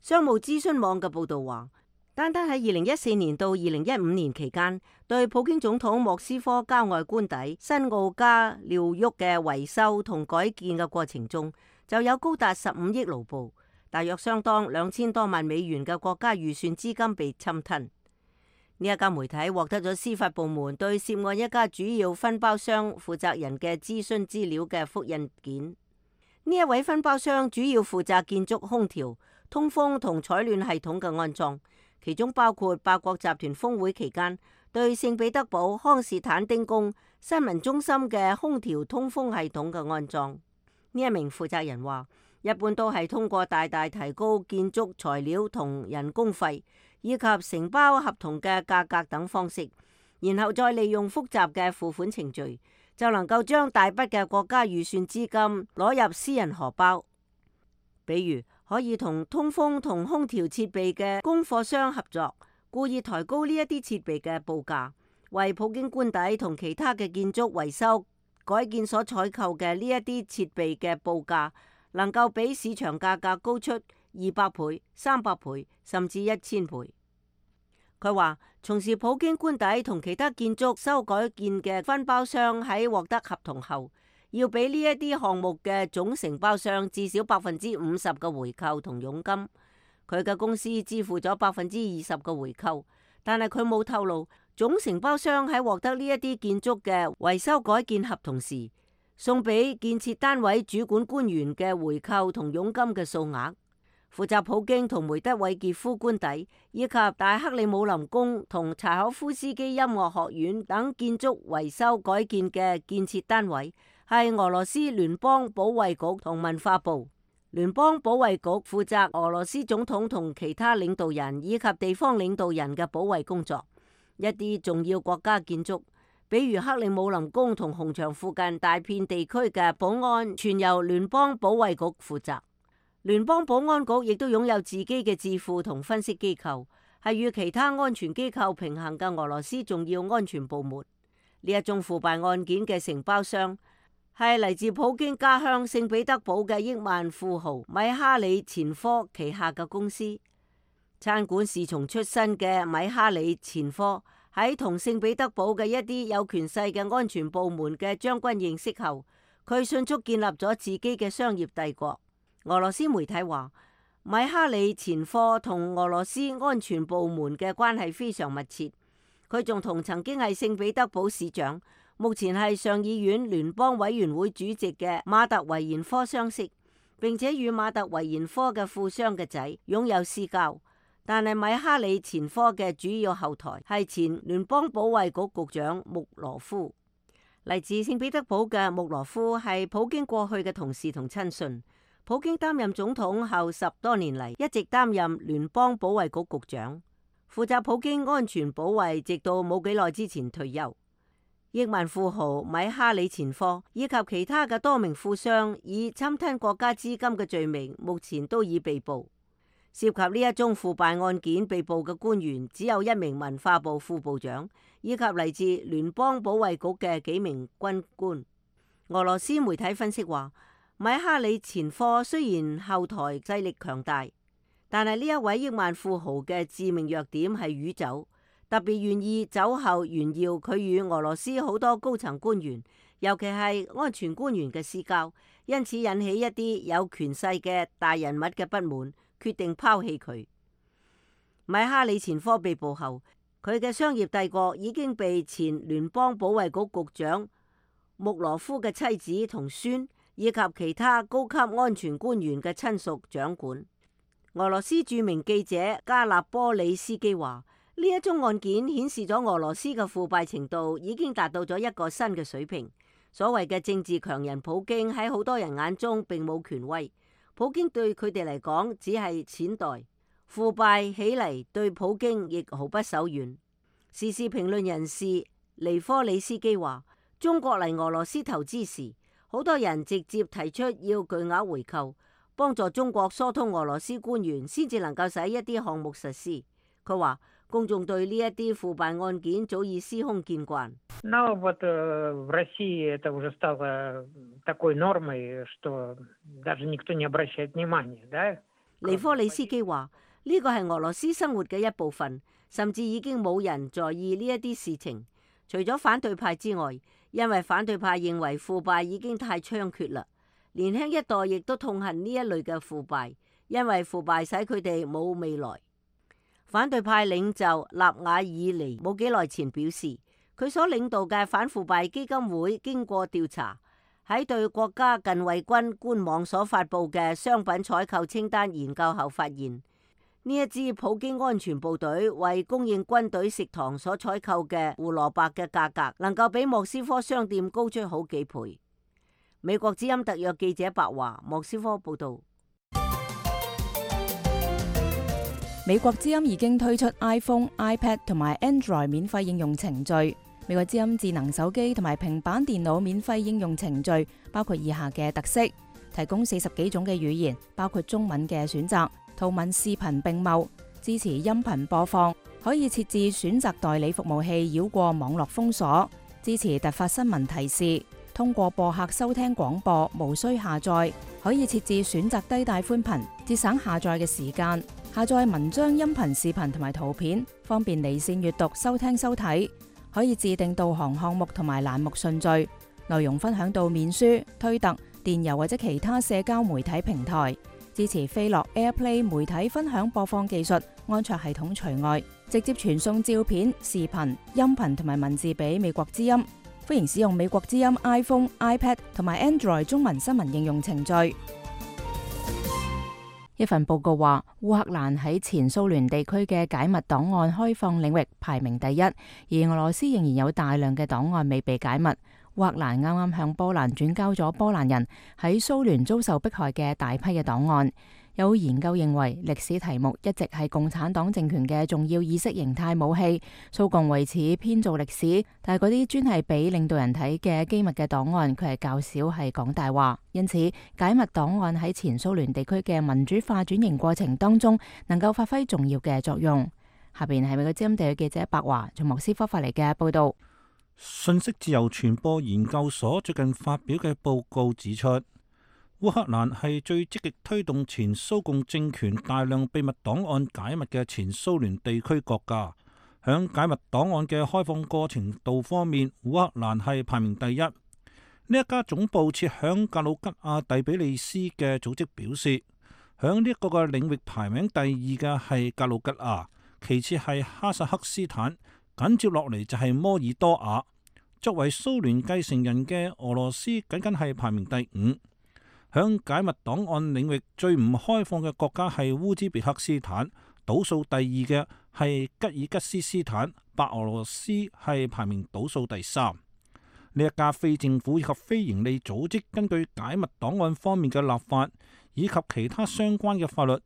商務諮詢網嘅報道話，單單喺2014年到2015年期間，對普京總統莫斯科郊外官邸新奧加廖沃嘅維修同改建嘅過程中，就有高達15億盧布，大約相當2000多萬美元嘅國家預算資金被侵吞。呢一家媒體獲得咗司法部門對涉案一家主要分包商負責人嘅諮詢資料嘅複印件。呢一位分包商主要負責建築空調、通風同採暖系統嘅安裝，其中包括8國集團峰會期間對聖彼得堡康士坦丁宮新聞中心嘅空調通風系統嘅安裝。呢一名負責人話，一般都係通過大大提高建築材料同人工費，以及承包合同嘅價格等方式，然後再利用複雜嘅付款程序，就能夠將大筆嘅國家預算資金攞入私人荷包。比如可以同通風同空調設備嘅供貨商合作，故意抬高呢一啲設備嘅報價，為普京官邸同其他嘅建築維修改建所採購嘅呢一啲設備嘅報價，能夠比市場價格高出200倍、300倍，甚至1000倍。佢話，從事普京官邸同其他建築修改建嘅分包商喺獲得合同後，要俾呢一啲項目嘅總承包商至少50%嘅回扣同佣金。佢嘅公司支付咗20%嘅回扣，但係佢冇透露總承包商喺獲得呢一啲建築嘅維修改建合同時，送俾建設單位主管官員嘅回扣同佣金嘅數額。負責普京同梅德韋傑夫官邸以及大克里姆林宮同柴可夫斯基音樂學院等建築維修改建嘅建設單位係俄羅斯聯邦保衛局同文化部。聯邦保衛局負責俄羅斯總統同其他領導人以及地方領導人嘅保衛工作。一啲重要國家建築，比如克里姆林宮同紅場附近大片地區嘅保安，全由聯邦保衛局負責。聯邦保安局亦都擁有自己嘅智庫同分析機構，係與其他安全機構平衡嘅俄羅斯重要安全部門。呢一宗腐敗案件嘅承包商係嚟自普京家鄉聖彼得堡嘅億萬富豪米哈里錢科旗下嘅公司。餐館侍從出身嘅米哈里錢科喺同聖彼得堡嘅一啲有權勢嘅安全部門嘅將軍認識後，佢迅速建立咗自己嘅商業帝國。俄羅斯媒體話，米哈里錢科同俄羅斯安全部門嘅關係非常密切。佢仲同曾經係聖彼得堡市長，目前係上議院聯邦委員會主席嘅馬特維延科相識，並且與馬特維延科嘅富商嘅仔擁有私交。但係米哈里錢科嘅主要後台係前聯邦保衛局局長穆羅夫。嚟自聖彼得堡嘅穆羅夫係普京過去嘅同事同親信。普京擔任總統後10多年嚟，一直擔任聯邦保衛局局長，負責普京安全保衛，直到冇幾耐之前退休。億萬富豪米哈里錢科以及其他嘅多名富商以侵吞國家資金嘅罪名，目前都已被捕。涉及呢一宗腐敗案件被捕嘅官員只有一名文化部副部長，以及嚟自聯邦保衛局嘅幾名軍官。俄羅斯媒體分析話，米哈里錢科雖然後台勢力強大，但係呢一位億萬富豪嘅致命弱點係酗酒，特別願意酒後炫耀佢與俄羅斯好多高層官員，尤其係安全官員嘅私交，因此引起一啲有權勢嘅大人物嘅不滿，決定拋棄佢。米哈里錢科被捕後，佢嘅商業帝國已經被前聯邦保衛局局長穆羅夫嘅妻子同孫，以及其他高級安全官員嘅親屬掌管。俄羅斯著名記者加納波里斯基話，呢一宗案件顯示咗俄羅斯嘅腐敗程度已經達到咗一個新嘅水平。所謂嘅政治強人普京喺好多人眼中並冇權威，普京對佢哋嚟講只係錢袋。腐敗起嚟對普京亦毫不手軟。時事評論人士尼科里斯基話，中國嚟俄羅斯投資時，好多人直接提出要巨額回扣，幫助中國疏通俄羅斯官員，先至能夠使一啲項目實施。佢話公眾對呢一啲腐敗案件早已司空見慣。尼科里斯基話，呢個係俄羅斯生活嘅一部分，甚至已經冇人在意呢一啲事情，除咗反對派之外。因為反對派認為腐敗已經太猖獗啦，年輕一代亦都痛恨呢一類嘅腐敗，因為腐敗使佢哋冇未來。反對派領袖納瓦爾尼冇幾耐前表示，佢所領導嘅反腐敗基金會經過調查，喺對國家近衛軍官網所發佈嘅商品採購清單研究後發現，呢一支普京安全部隊為供應軍隊食堂所採購嘅胡蘿蔔嘅價格，能夠比莫斯科商店高出好幾倍。美國之音特約記者白華，莫斯科報道。美國之音已經推出 iPhone、iPad 同埋 Android 免費應用程序。美國之音智能手機同埋平板電腦免費應用程序包括以下嘅特色：提供40幾種嘅語言，包括中文嘅選擇，圖文視頻並茂，支持音頻播放，可以設置選擇代理服務器繞過網絡封鎖，支持突發新聞提示，通過播客收聽廣播，無需下載，可以設置選擇低帶寬頻，節省下載嘅時間，下載文章、音頻、視頻同埋圖片，方便離線閱讀、收聽收睇，可以自定導航項目同埋欄目順序，內容分享到面書、推特、電郵或者其他社交媒體平台，支持飛樂 AirPlay 媒體分享播放技術，安卓系統除外，直接傳送照片、視頻、音頻同埋文字俾美國之音。歡迎使用美國之音 iPhone、iPad 同埋 Android 中文新聞應用程序。一份報告話，烏克蘭喺前蘇聯地區嘅解密檔案開放領域排名第一，而俄羅斯仍然有大量嘅檔案未被解密。烏克蘭啱啱向波蘭轉交咗波蘭人喺蘇聯遭受迫害嘅大批嘅檔案。有研究認為，歷史題目一直係共產黨政權嘅重要意識形態武器。蘇共為此編造歷史，但係嗰啲專係俾領導人睇嘅機密嘅檔案，佢係較少係講大話。因此，解密檔案喺前蘇聯地區嘅民主化轉型過程當中，能夠發揮重要嘅作用。下邊係美國之音地嘅記者白華從莫斯科發嚟嘅報道。信息自由傳播研究所最近發表嘅報告指出，烏克蘭係最積極推動前蘇共政權大量秘密檔案解密嘅前蘇聯地區國家。響解密檔案嘅開放過程度方面，烏克蘭係排名第一。呢一家總部設響格魯吉亞第比利斯嘅組織表示，響呢一個嘅領域排名第二嘅係格魯吉亞，其次係哈薩克斯坦，緊接落嚟就係摩爾多瓦。作為蘇聯繼承人嘅俄羅斯僅僅係排名第五。響解密檔案領域最唔開放嘅國家係烏茲別克斯坦，倒數第二嘅係吉爾吉斯斯坦，白俄羅斯係排名倒數第三。呢一家非政府以及非營利組織根據解密檔案方面嘅立法以及其他相關嘅法律，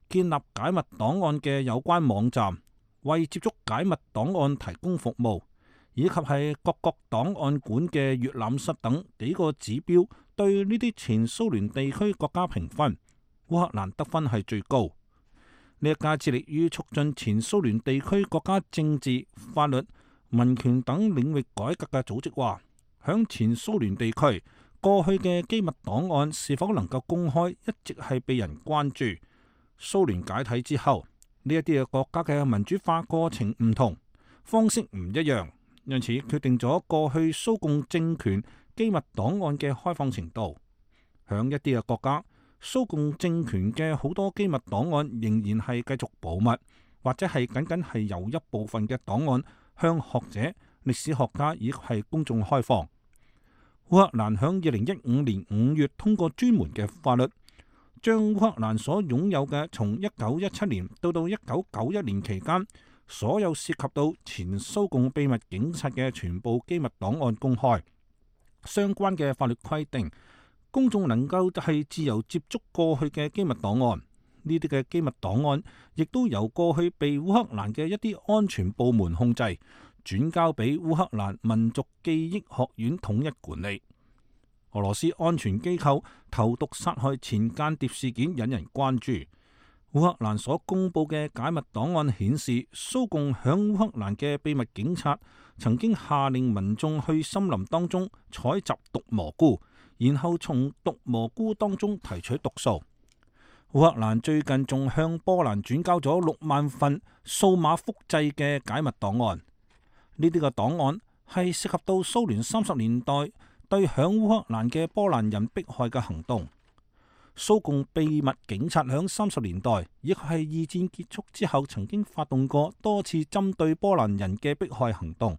建立解密檔案嘅有關網站，為接觸解密檔案提供服務，以及係各國檔案館嘅閱覽室等幾個指標。對呢啲前蘇聯地區國家評分，烏克蘭得分係最高。呢一家致力於促進前蘇聯地區國家政治、法律、民權等領域改革嘅組織話，響前蘇聯地區過去嘅機密檔案是否能夠公開，一直係被人關注。蘇聯解體之後，呢一啲嘅國家嘅民主化過程唔同，方式唔一樣，因此決定咗過去蘇共政權機密檔案嘅開放程度。響一啲嘅國家，蘇共政權嘅好多機密檔案仍然係繼續保密，或者係僅僅係由一部分嘅檔案向學者、歷史學家以及係公眾開放。烏克蘭響2015年5月通過專門嘅法律，將烏克蘭所擁有嘅從1917年到1991年期間所有涉及到前蘇共秘密警察嘅全部機密檔案公開。相關嘅法律規定，公眾能夠係自由接觸過去嘅機密檔案。呢啲嘅機密檔案亦都由過去被烏克蘭嘅一啲安全部門控制，轉交俾烏克蘭民族記憶學院統一管理。俄羅斯安全機構投毒殺害前間諜事件引人關注。烏克蘭所公布嘅解密檔案顯示，蘇共響烏克蘭嘅秘密警察曾經下令民眾去森林當中採集毒蘑菇，然後從毒蘑菇當中提取毒素。烏克蘭最近仲向波蘭轉交咗6萬份數碼複製嘅解密檔案。呢啲嘅檔案係涉及到蘇聯30年代對響烏克蘭嘅波蘭人迫害嘅行動。蘇共秘密警察響30年代，亦係二戰結束之後，曾經發動過多次針對波蘭人嘅迫害行動。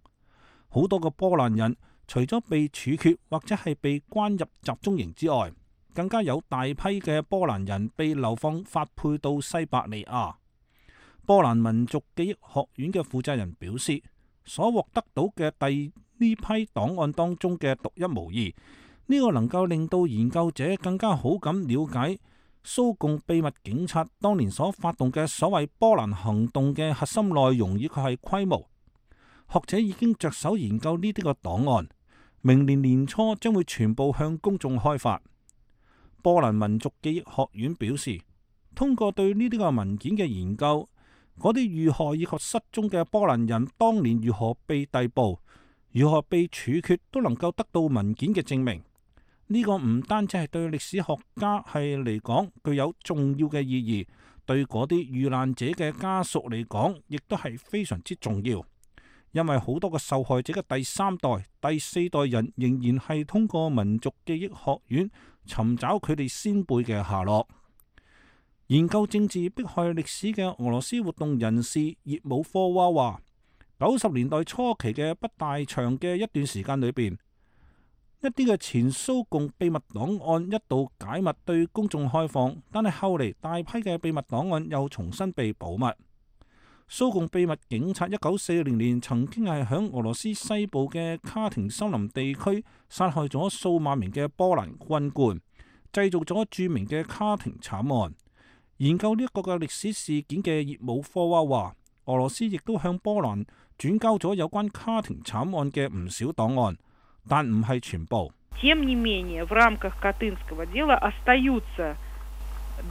好多個波蘭人除咗被處決或者係被關入集中營之外，更加有大批嘅波蘭人被流放發配到西伯利亞。波蘭民族記憶學院嘅負責人表示，所獲得到嘅呢批檔案當中嘅獨一無二，呢個能夠令到研究者更加好咁了解蘇共秘密警察當年所發動嘅所謂波蘭行動嘅核心內容以及係規模。學者已經着手研究呢啲個檔案，明年年初將會全部向公眾開發。波蘭民族記憶學院表示，通過對呢啲個文件嘅研究，嗰啲遇害以及失蹤嘅波蘭人當年如何被逮捕、如何被處決，都能夠得到文件嘅證明。呢個唔單止係對歷史學家係嚟講具有重要嘅意義，對嗰啲遇難者嘅家屬嚟講，亦都係非常之重要。因為好多個受害者嘅第三代、第四代人仍然係通過民族記憶學院尋找佢哋先輩嘅下落。研究政治迫害歷史嘅俄羅斯活動人士葉姆科娃話，90年代初期嘅不大長嘅一段時間裏邊，一啲嘅前蘇共秘密檔案一度解密對公眾開放，但係後嚟大批嘅秘密檔案又重新被保密。蘇共秘密警察1940年曾經係響俄羅斯西部嘅卡廷森林地區殺害咗數萬名嘅波蘭軍官，製造咗著名嘅卡廷慘案。研究呢一個嘅歷史事件嘅葉姆科娃話，俄羅斯亦都向波蘭轉交咗有關卡廷慘案嘅唔少檔案，但唔係全部。Тем не менее, в рамках Катынского дела остаются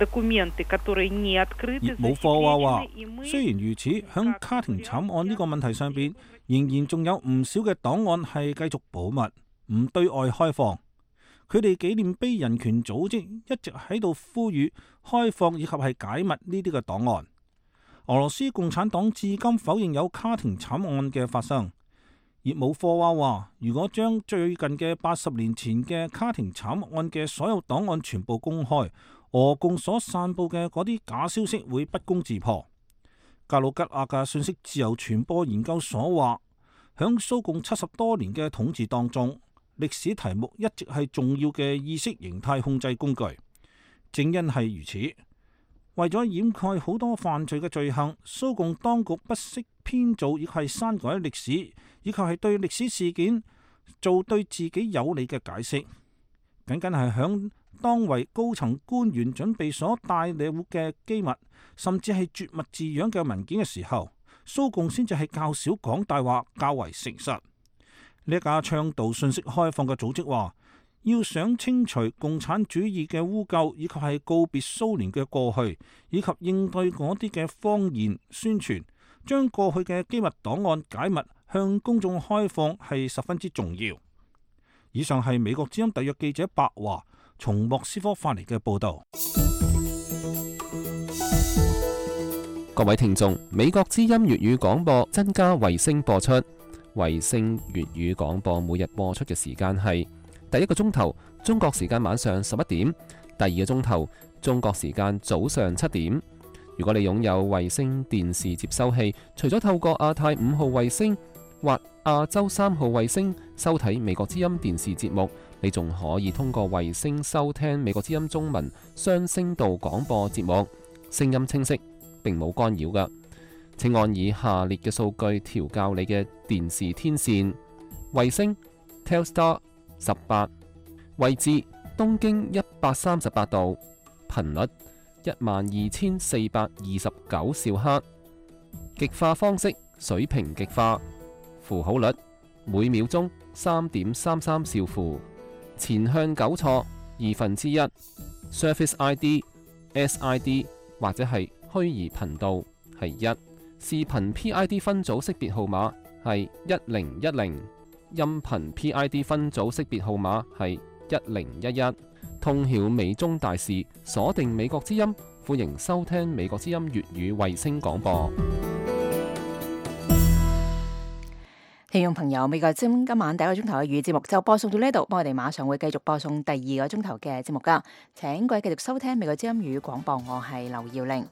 документы, которые не открыты, засекречены。雖然如此，響卡廷慘案呢個問題上邊，仍然仲有唔少嘅檔案係繼續保密，唔對外開放。佢哋紀念碑人權組織一直喺度呼籲開放以及係解密呢啲嘅檔案。俄羅斯共產黨至今否認有卡廷慘案嘅發生。葉姆科娃話，如果將最近嘅80年前嘅卡廷慘案嘅所有檔案全部公開，俄共所散布嘅嗰啲假消息會不攻自破。格魯吉亞嘅信息自由傳播研究所話，響蘇共70多年嘅統治當中，歷史題目一直係重要嘅意識形態控制工具。正因係如此，為咗掩蓋好多犯罪嘅罪行，蘇共當局不惜編造亦係刪改歷史，以及係對歷史事件做對自己有利嘅解釋。僅僅係響當為高層官員準備所帶領嘅機密，甚至係絕密字樣嘅文件嘅時候，蘇共先至係較少講大話，較為誠實。呢一家倡導信息開放嘅組織話，要想清除共產主義嘅污垢，以及係告別蘇聯嘅過去，以及應對嗰啲嘅謊言宣傳，將過去嘅機密檔案解密向公眾開放係十分之重要。以上係美國之音特約記者白華從莫斯科發嚟嘅報導。各位聽眾，美國之音粵語廣播增加衛星播出。衛星粵語廣播每日播出嘅時間係第一個鐘頭中國時間晚上11點，第二個鐘頭中國時間早上7點。如果你擁有衛星電視接收器，除咗透過亞太5號衛星或亞洲3號衛星收睇美國之音電視節目，你仲可以通過衛星收聽美國之音中文雙聲道廣播節目，聲音清晰，並冇干擾㗎。請按以下列嘅數據調校你嘅電視天線：衛星 Telstar 18，位置東經138度，頻率12429兆赫，極化方式水平極化，符號率每秒鐘3.33兆符，前向糾錯1/2， Surface ID SID 或者係虛擬頻道係1。視頻 PID 分組識別號碼係1010，音頻 PID 分組識別號碼係1011。通曉美中大事，鎖定美國之音，歡迎收聽美國之音粵語衛星廣播。聽眾朋友，美國之音今晚第一個鐘頭嘅粵語節目就播送到呢度，我哋馬上會繼續播送第二個鐘頭嘅節目噶，請各位繼續收聽美國之音粵語廣播，我係劉耀玲。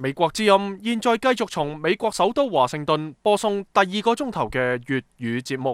美國之音現在繼續從美國首都華盛頓播送第2個鐘頭嘅粵語節目。